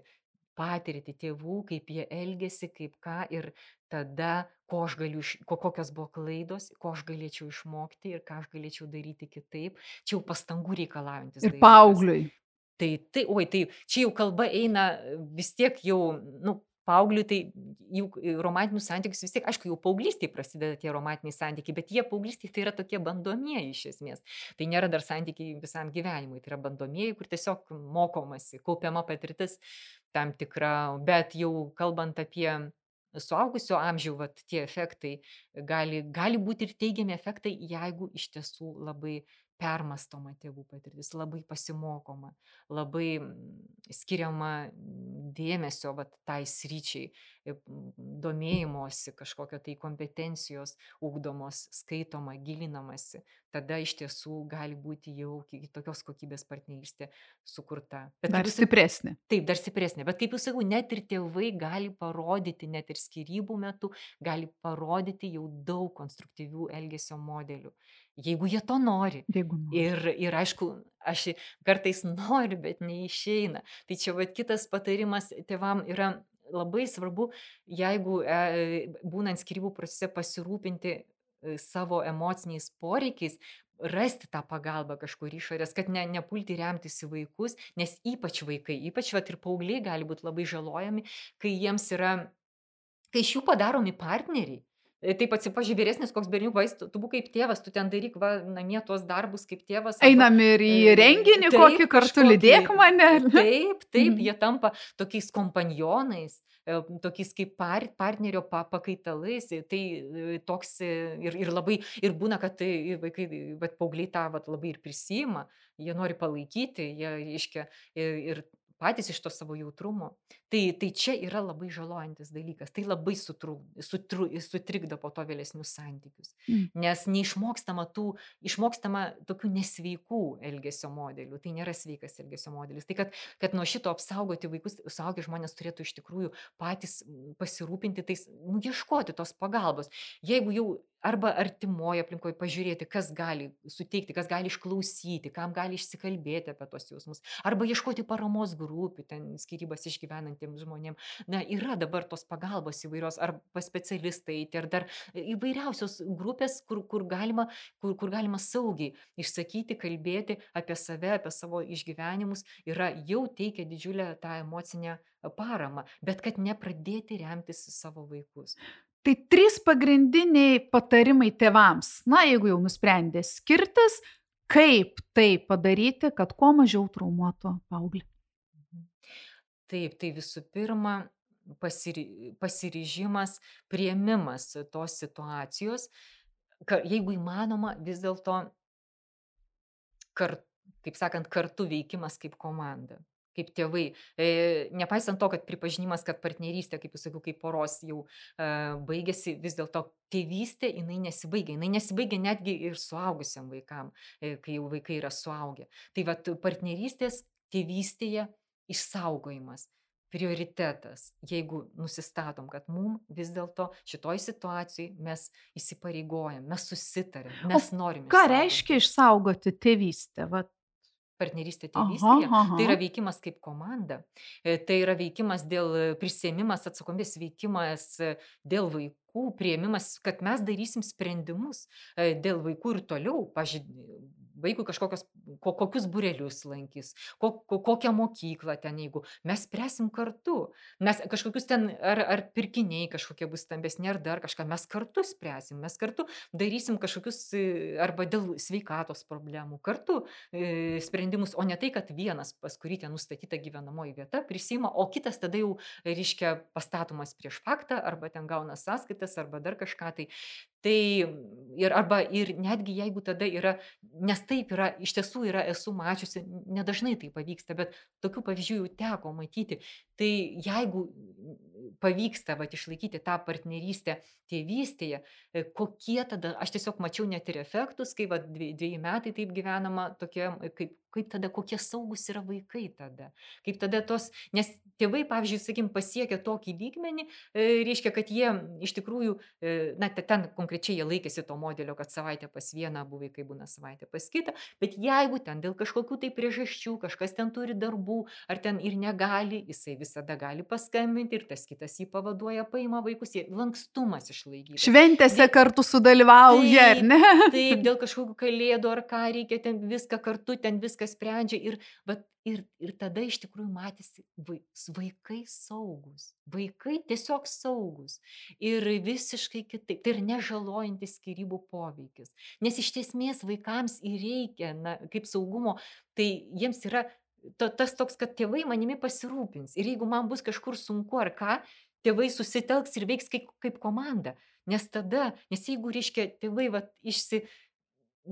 patirtį tėvų, kaip jie elgėsi, kaip ką ir tada, ko aš galiu, iš- ko, kokios buvo klaidos, ko aš galėčiau išmokti ir ką aš galėčiau daryti kitaip. Čia jau pastangų reikalaujantis Ir dalykas. paaugliui. Tai, tai, oi, tai čia jau kalba eina vis tiek jau, nu, paaugliui, tai jų romantinius santykius vis tiek, aišku, jau paauglystėje prasideda tie romantiniai santykiai, bet jie paauglystėje tai yra tokie bandomieji iš esmės. Tai nėra dar santykiai visam gyvenimui, tai yra bandomieji, kur tiesiog mokomasi, kaupiama patirtis tam tikra, bet jau kalbant apie suaugusio amžių, vat, tie efektai gali, gali būti ir teigiami efektai, jeigu iš tiesų labai permastoma tėvų patirtis, labai pasimokoma, labai mm, skiriama mm, dėmesio vat, tai sryčiai, e, mm, domėjimosi, kažkokio tai kompetencijos ugdomos, skaitoma, gilinamasi, tada iš tiesų gali būti jau ki- tokios kokybės partnerystė sukurta. Bet Dar kaip jūs sak- stipresnė. Taip, dar stipresnė. Bet kaip jūs sakau, net ir tėvai gali parodyti, net ir skyrybų metu, gali parodyti jau daug konstruktyvių elgesio modelių, jeigu jie to nori. Jeigu nori. Ir, ir aišku, aš kartais noriu, bet neišeina. Tai čia vat, kitas patarimas tėvam yra labai svarbu, jeigu e, būnant skyrybų procese pasirūpinti e, savo emociniais poreikiais, rasti tą pagalbą kažkur išorės, kad ne, nepulti remtis į vaikus, nes ypač vaikai, ypač vat, ir paaugliai gali būti labai žalojami, kai jiems yra, kai iš jų padaromi partneriai. E, Taip atsipažiūrė vyresnis koks berniukas, tu, tu būk kaip tėvas, tu ten daryk va, namie tuos darbus kaip tėvas. arba- Einam ir į E, renginį taip, kokį kartu, kažkokį- lydėk mane. Taip, taip, Mhm. jie tampa tokiais kompanionais, e, tokiais kaip par, partnerio pa, pakaitalais. e, Tai e, toks e, ir, ir labai, ir būna, kad tai ir vaikai, bet paaugliai tą vat, labai ir prisima, jie nori palaikyti, jie iškia ir, ir patys iš to savo jautrumo. Tai, tai čia yra labai žalojantis dalykas, tai labai sutru, sutru, sutrikdo po to vėlesnius santykius. Mm. Nes neišmokstama tų, išmokstama tokių nesveikų elgesio modelių, tai nėra sveikas elgesio modelis. Tai kad, kad nuo šito apsaugoti vaikus, suaugę žmonės turėtų iš tikrųjų patys mm, pasirūpinti tais, nu, ieškoti tos pagalbos. Jeigu jau arba artimoje aplinkoje pažiūrėti, kas gali suteikti, kas gali išklausyti, kam gali išsikalbėti apie tos jausmus, arba ieškoti paramos grupių, ten skyrybas išgyvenantiems žmonėms. Na, yra dabar tos pagalbos įvairios, ar pas specialistą eiti, ar dar įvairiausios grupės, kur, kur, galima, kur, kur galima saugiai išsakyti, kalbėti apie save, apie savo išgyvenimus, yra jau teikia didžiulę tą emocinę paramą, bet kad nepradėti remtis į savo vaikus. Tai trys pagrindiniai patarimai tėvams. Na, jeigu jau nusprendė skirtis, kaip tai padaryti, kad kuo mažiau traumuotų paauglį. Taip, tai visų pirma, pasiri, pasiryžimas, priėmimas tos situacijos, ka, jeigu įmanoma, vis dėlto, kar, kaip sakant, kartu veikimas kaip komanda, kaip tėvai. E, nepaisant to, kad pripažinimas, kad partnerystė, kaip jūs sakiau, kaip poros jau e, baigėsi, vis dėlto tėvystė, jinai nesibaigia. Jinai nesibaigia netgi ir suaugusiam vaikam, e, kai jau vaikai yra suaugę. Tai vat partnerystės tėvystėje išsaugojimas, prioritetas, jeigu nusistatom, kad mum vis dėlto šitoj situacijai mes įsipareigojam, mes susitarėm, mes norim Ką išsaugoti. reiškia išsaugoti tėvystę? Vat. Partnerystė Aha, tėvystėje, aha. tai yra veikimas kaip komanda, e, tai yra veikimas dėl prisėmimas atsakomybės, veikimas e, dėl vaikų, priėmimas, kad mes darysim sprendimus e, dėl vaikų ir toliau, pažiūrėjau, vaikui kažkokios, ko, kokius burelius lankys, ko, ko, kokią mokyklą ten, jeigu mes spręsim kartu, mes kažkokius ten, ar, ar pirkiniai kažkokie bus stambesni, ar dar kažką, mes kartu spręsim, mes kartu darysim kažkokius, e, arba dėl sveikatos problemų, kartu e, sprendimus, o ne tai, kad vienas, pas kurį ten nustatyta gyvenamoji vieta, prisima, o kitas tada jau, reiškia, pastatomas prieš faktą, arba ten gauna sąskaitas, arba dar kažką tai. Tai ir, arba ir netgi jeigu tada yra, nes taip yra, iš tiesų yra, esu mačiusi, nedažnai tai pavyksta, bet tokių pavyzdžių jau teko matyti. Tai jeigu pavyksta vat, išlaikyti tą partnerystę tėvystėje, e, kokie tada, aš tiesiog mačiau net ir efektus, kai vat, dvie- dveji metai taip gyvenama, tokie, kaip, kaip tada, kokie saugus yra vaikai tada. Kaip tada tos, nes tėvai, pavyzdžiui, sakykim, pasiekia tokį lygmenį, e, reiškia, kad jie iš tikrųjų, e, na, te- ten konkrečiai jie laikėsi to modelio, kad savaitę pas vieną, abu vaikai būna savaitę pas kitą, bet jeigu ten dėl kažkokių tai priežasčių, kažkas ten turi darbų, ar ten ir negali, jisai visada gali paskambinti ir tas kitas jį pavaduoja, paima vaikus, jie lankstumas išlaikytas. Šventėse Dėl- kartu sudalyvauja, ar Taip, ne? Taip, dėl kažkokių kalėdų ar ką reikia, ten viską kartu, ten viską sprendžia ir, vat, ir, ir tada iš tikrųjų matėsi vai- vaikai saugus, vaikai tiesiog saugus ir visiškai kitaip, tai ir nežalojantis skyrybų poveikis. Nes iš esmės vaikams ir reikia, na, kaip saugumo, tai jiems yra to, tas toks, kad tėvai manimi pasirūpins ir jeigu man bus kažkur sunku ar ką, tėvai susitelks ir veiks kaip, kaip komanda. Nes tada, nes jeigu, reiškia, tėvai vat, išsi,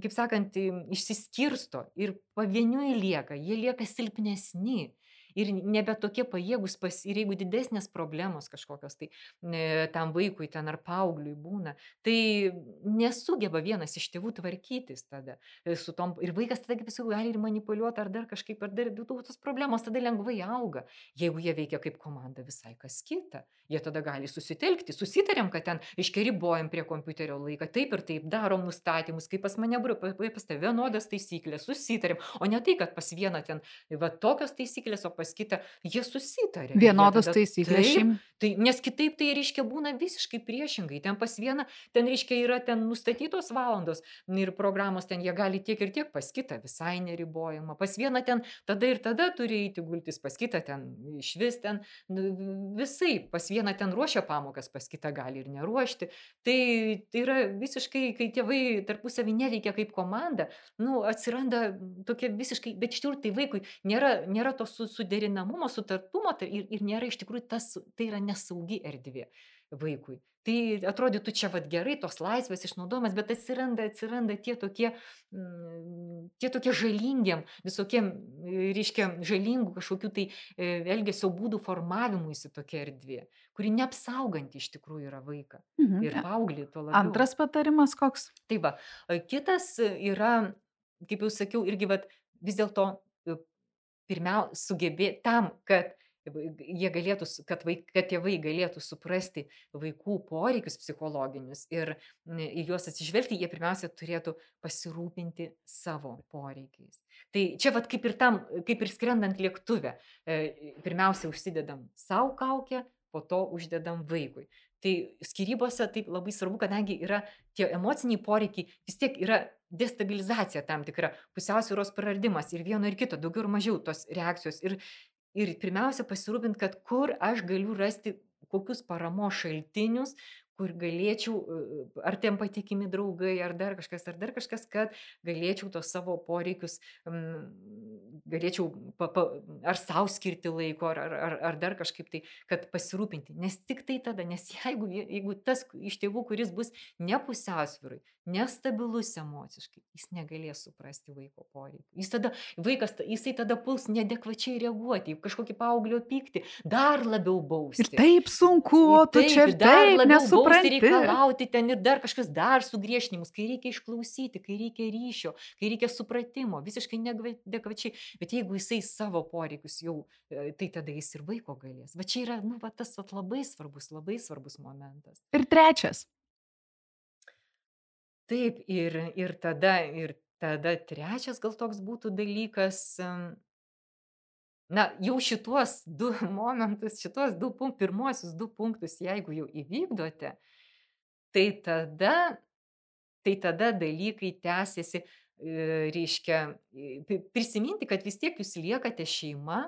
kaip sakant, išsiskirsto ir pavieniui lieka, jie lieka silpnesni ir nebe tokie pajėgus, pas, ir jeigu didesnės problemos kažkokios, tai e, tam vaikui ten ar paaugliui būna, tai nesugeba vienas iš tėvų tvarkytis tada e, su tom, ir vaikas tada, kaip sakau, gali ir manipuliuoti, ar dar kažkaip, ar dar tos problemos tada lengvai auga. Jeigu jie veikia kaip komanda, visai kas kita. Jie tada gali susitelkti, susitarėm, kad ten iškeribojam prie kompiuterio laiką, taip ir taip, darom nustatymus, kaip pas mane, bro, pa- pa- pas tave vienodas taisyklės, susitarėm, o ne tai, kad pas vieną ten, va tokios taisyklės, o pas kitą jie susitarė. Ir jie Vienodos tada- taisyklės Taip, šeim. tai, nes kitaip tai reiškia būna visiškai priešingai. Ten pas vieną, ten reiškia yra ten nustatytos valandos ir programos ten jie gali tiek ir tiek, pas kitą visai neribojama. Pas vieną ten tada ir tada turi eiti gultis, pas kitą ten iš vis ten nu, visai, pas vieną ten ruošia pamokas, pas kitą gali ir neruošti. Tai, tai yra visiškai, kai tėvai tarpusavį neveikia kaip komanda, nu, atsiranda tokia visiškai, bet iš tikrųjų tai vaikui nėra, nėra to su, suderinamumo, sutartumo tai ir, ir nėra iš tikrųjų tas, tai yra nesaugi erdvė vaikui. Tai atrodytų čia vad gerai, tos laisvės išnaudojimas, bet atsiranda, atsiranda tie tokie, mm, tie tokie žalingiem, visokiem, e, reiškia, žalingų kažkokių tai e, elgesio būdų formavimuisi tokia erdvė, kuri neapsauganti iš tikrųjų yra vaiką. Mhm. Ir paauglį tuo labiau. Antras patarimas koks? Tai va, e, kitas yra, kaip jau sakiau, irgi vat, vis dėlto e, pirmiausia sugebėti tam, kad vai- jie galėtų, su- kad, vaik, kad tėvai galėtų suprasti vaikų poreikius psichologinius ir n, į juos atsižvelgti, jie pirmiausia turėtų pasirūpinti savo poreikiais. Tai čia vat kaip ir tam, kaip ir skrendant lėktuve, e, pirmiausia užsidedam savo kaukę, po to uždedam vaikui. Tai skyrybose taip labai svarbu, kadangi yra tie emociniai poreikiai, vis tiek yra destabilizacija tam tikra, pusiausvyros praradimas ir vieno ir kito, daugiau ir mažiau tos reakcijos. Ir, ir pirmiausia pasirūpinti, kad kur aš galiu rasti kokius paramos šaltinius, kur galėčiau, e, ar ten patikimi draugai, ar dar kažkas, ar dar kažkas, kad galėčiau tos savo poreikius, mm, galėčiau pa, pa, ar savo skirti laiko, ar, ar, ar, ar dar kažkaip tai, kad pasirūpinti. Nes tik tai tada, nes jeigu, jeigu tas iš tėvų, kuris bus nepusiausvyrui, nestabilus emociškai, jis negalės suprasti vaiko poreikių. Jis tada, vaikas, jisai tada puls neadekvačiai reaguoti, į kažkokį paauglio pyktį, dar labiau bausti. Ir taip sunku, o tu čia ir dar taip labiau bausti, nesupranti. reikalauti ten ir dar kažkas, dar sugriešinimus, kai reikia išklausyti, kai reikia ryšio, kai reikia supratimo, visiškai neadekvačiai. Bet jeigu jisai savo poreikius jau, e, tai tada jis ir vaiko galės. Va čia yra, nu, va, tas va, labai svarbus, labai svarbus momentas. Ir trečias. Taip, ir, ir, tada, ir tada trečias gal toks būtų dalykas, em, na, jau šituos du momentus, šituos du punktus, pirmuosius du punktus, jeigu jau įvykdote, tai tada, tai tada dalykai tęsiasi, e, reiškia, e, pri- prisiminti, kad vis tiek jūs liekate šeima,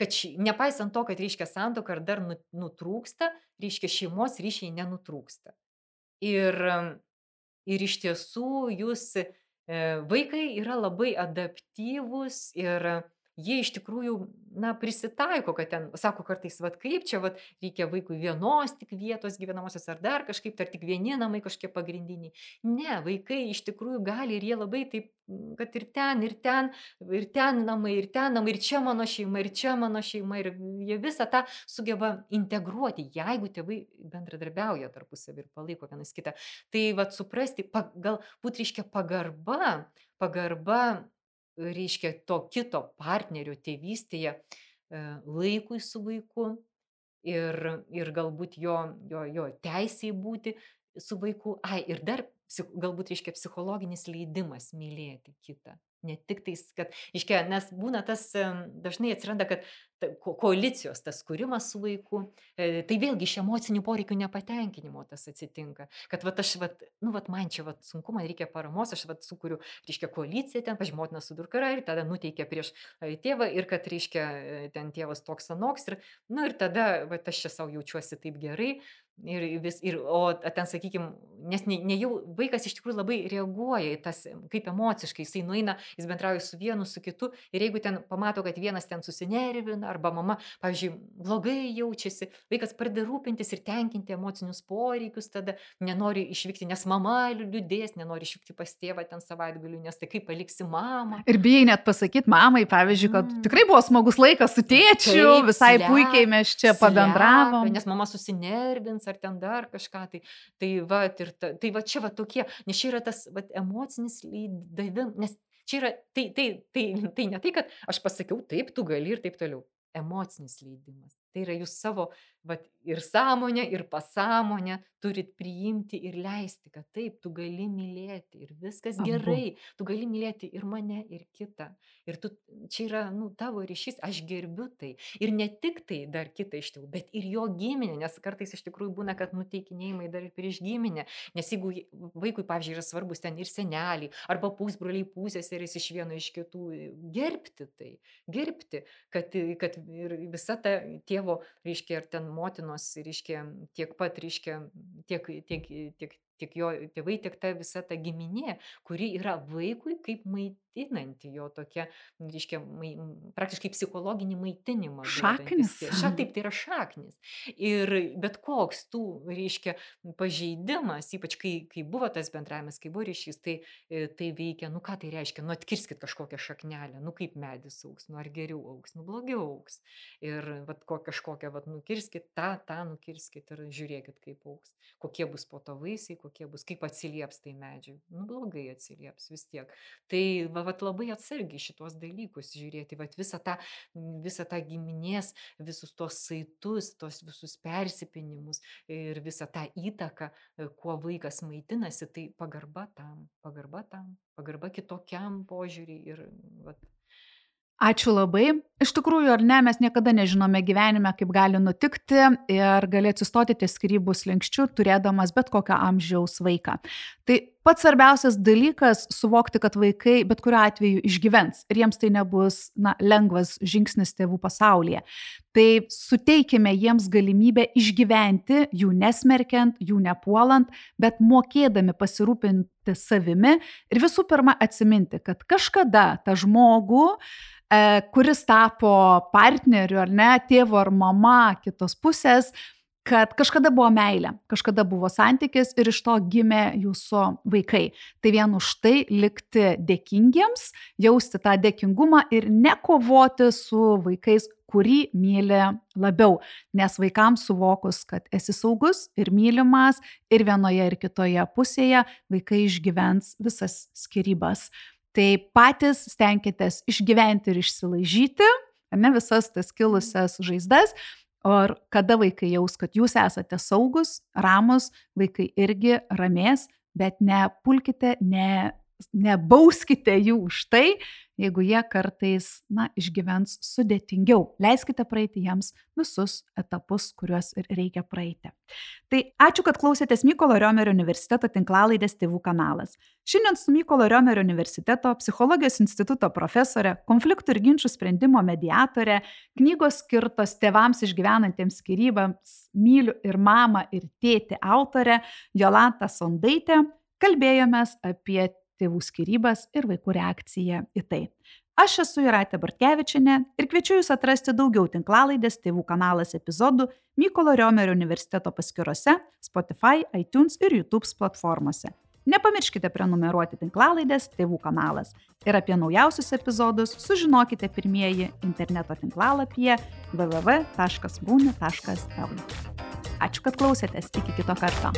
kad ši, nepaisant to, kad reiškia santuoka ar dar nu- nutrūksta, reiškia šeimos ryšiai nenutrūksta. Ir, em, ir iš tiesų jūs, e, vaikai yra labai adaptyvūs ir jie iš tikrųjų, na, prisitaiko, kad ten, sako kartais, vat kaip čia, vat reikia vaikui vienos tik vietos gyvenamosios ar dar kažkaip, ar tik vieni namai kažkokie pagrindiniai. Ne, vaikai iš tikrųjų gali ir jie labai taip, kad ir ten, ir ten, ir ten namai, ir ten namai, ir čia mano šeima, ir čia mano šeima, ir jie visą tą sugeba integruoti, jeigu tėvai bendradarbiauja tarpusavį ir palaiko vienas kitą. Tai vat suprasti, pa, galbūt reiškia pagarba, pagarba, reiškia to kito partnerio tėvystėje e, laikui su vaiku ir, ir galbūt jo, jo, jo teisėjai būti su vaiku. Ai, ir dar psich- galbūt reiškia psichologinis leidimas mylėti kitą. Ne tik tais, kad, reiškia, nes būna tas, em, dažnai atsiranda, kad ta ko- koalicijos, tas kūrimas su vaiku, e, tai vėlgi iš emocinių poreikių nepatenkinimo tas atsitinka. Kad vat aš, vat, nu, vat man čia vat sunku, man reikia paramos, aš vat sukuriu, reiškia, koaliciją ten, pažiūrėjau, motina su dukra ir tada nuteikia prieš e, tėvą ir kad, reiškia, e, ten tėvas toks anoks ir, nu, ir tada, vat aš čia savo jaučiuosi taip gerai. Ir vis, ir, o ten, sakykime, nes ne, ne jau vaikas iš tikrųjų labai reaguoja į tas, kaip emociškai, jisai nueina, jis bendrauja su vienu, su kitu, ir jeigu ten pamato, kad vienas ten susinervina, arba mama, pavyzdžiui, blogai jaučiasi, vaikas pradeda rūpintis ir tenkinti emocinius poreikius, tada nenori išvykti, nes mama liūdės, nenori išvykti pas tėvą ten savaitgaliu, nes tai kaip paliksi mamą. Ir bijai net pasakyti mamai, pavyzdžiui, kad Mm. tikrai buvo smagus laikas su tėčiu, Taip, visai slepia, puikiai mes čia pabendravom. slepia, nes mama susinervins ar ten dar kažką. Tai, tai, va, ir ta, tai va čia va tokie, nes čia yra tas va, emocinis leidimas, nes čia yra, tai, tai, tai, tai ne tai, kad aš pasakiau taip, tu gali ir taip toliau. Emocinis leidimas. Tai yra jūs savo va, ir sąmonę, ir pasąmonę turit priimti ir leisti, kad taip, tu gali mylėti ir viskas Abu. gerai. Tu gali mylėti ir mane, ir kitą. Ir tu, čia yra nu, tavo ryšys, aš gerbiu tai. Ir ne tik tai dar kitą iš tėvų, bet ir jo giminę, nes kartais iš tikrųjų būna, kad nuteikinėjimai dar ir prieš giminę. Nes jeigu ji- vaikui, pavyzdžiui, yra svarbus ten ir seneliai, arba pusbroliai, pusseserės iš vieno iš kitų, gerbti tai, gerbti, kad, kad ir visa ta tėvo, reiškia, ir ten motinos, reiškia, tiek pat, reiškia, tiek, tiek, tiek, tiek jo tėvai, tiek ta visa ta giminė, kuri yra vaikui kaip maitinanti jo tokia, reiškia, mai, praktiškai psichologinį maitinimą. Šaknis. Šiaip taip, tai yra šaknis. Ir bet koks tų, reiškia, pažeidimas, ypač kai, kai buvo tas bendravimas, kai buvo ryšys, tai, e, tai veikia, nu ką tai reiškia, nu atkirskit kažkokią šaknelę, nu kaip medis augs, nu ar geriau augs, nu blogiau augs. Ir vat, ko, kažkokią, vat, nukirskit tą, tą nukirskit ir žiūrėkit, kaip augs. Kokie bus po to vaisiai, kokie bus, kaip atsilieps tai medžiai. Nu blogai atsilieps vis tiek. Tai va, vat, labai atsargiai šitos dalykus žiūrėti, vat, visą tą, visą tą giminės, visus tos saitus, tos visus persipinimus ir visą tą įtaką, e, kuo vaikas maitinasi, tai pagarba tam, pagarba tam, pagarba kitokiam požiūriui ir vat, Ačiū labai. Iš tikrųjų, ar ne, mes niekada nežinome gyvenime, kaip gali nutikti ir gali atsistoti ties skyrybų slenksčiu, turėdamas bet kokio amžiaus vaiką. Tai pats svarbiausias dalykas - suvokti, kad vaikai bet kuriuo atveju išgyvens ir jiems tai nebus na, lengvas žingsnis tėvų pasaulyje. Tai suteikime jiems galimybę išgyventi, jų nesmerkiant, jų nepuolant, bet mokėdami pasirūpinti savimi ir visų pirma atsiminti, kad kažkada tą žmogų, e, kuris tapo partneriu ar ne, tėvu ar mama kitos pusės, kad kažkada buvo meilė, kažkada buvo santykis ir iš to gimė jūsų vaikai. Tai vien už tai likti dėkingiems, jausti tą dėkingumą ir nekovoti su vaikais, kurį myli labiau. Nes vaikams suvokus, kad esi saugus ir mylimas ir vienoje ir kitoje pusėje, vaikai išgyvens visas skyrybas. Tai patys stenkitės išgyventi ir išsilaižyti, ar ne, visas tas kilusias žaizdas. O kada vaikai jaus, kad jūs esate saugus, ramus, vaikai irgi ramės, bet nepulkite, ne, nebauskite jų už tai, jeigu jie kartais na, išgyvens sudėtingiau. Leiskite praeiti jiems visus etapus, kuriuos ir reikia praeiti. Tai ačiū, kad klausėtės Mykolo Riomerio universiteto tinklalaidės Tėvų kanalas. Šiandien su Mykolo Riomerio universiteto psichologijos instituto profesorė, konfliktų ir ginčių sprendimo mediatorė, knygos skirtos tėvams išgyvenantiems skyrybams Myliu ir mamą ir tėtį autorė Jolanta Sondaitė kalbėjomės apie tėvų skyrybas ir vaikų reakciją į tai. Aš esu Jūratė Bartkevičienė ir kviečiu Jūs atrasti daugiau tinklalaidės Tėvų kanalas epizodų Mykolo Riomerio universiteto paskyrose, Spotify, iTunes ir YouTube platformose. Nepamirškite prenumeruoti tinklalaidės Tėvų kanalas ir apie naujausius epizodus sužinokite pirmieji interneto tinklalapyje w w w taškas būni taškas l. Ačiū, kad klausėtės. Iki kito karto.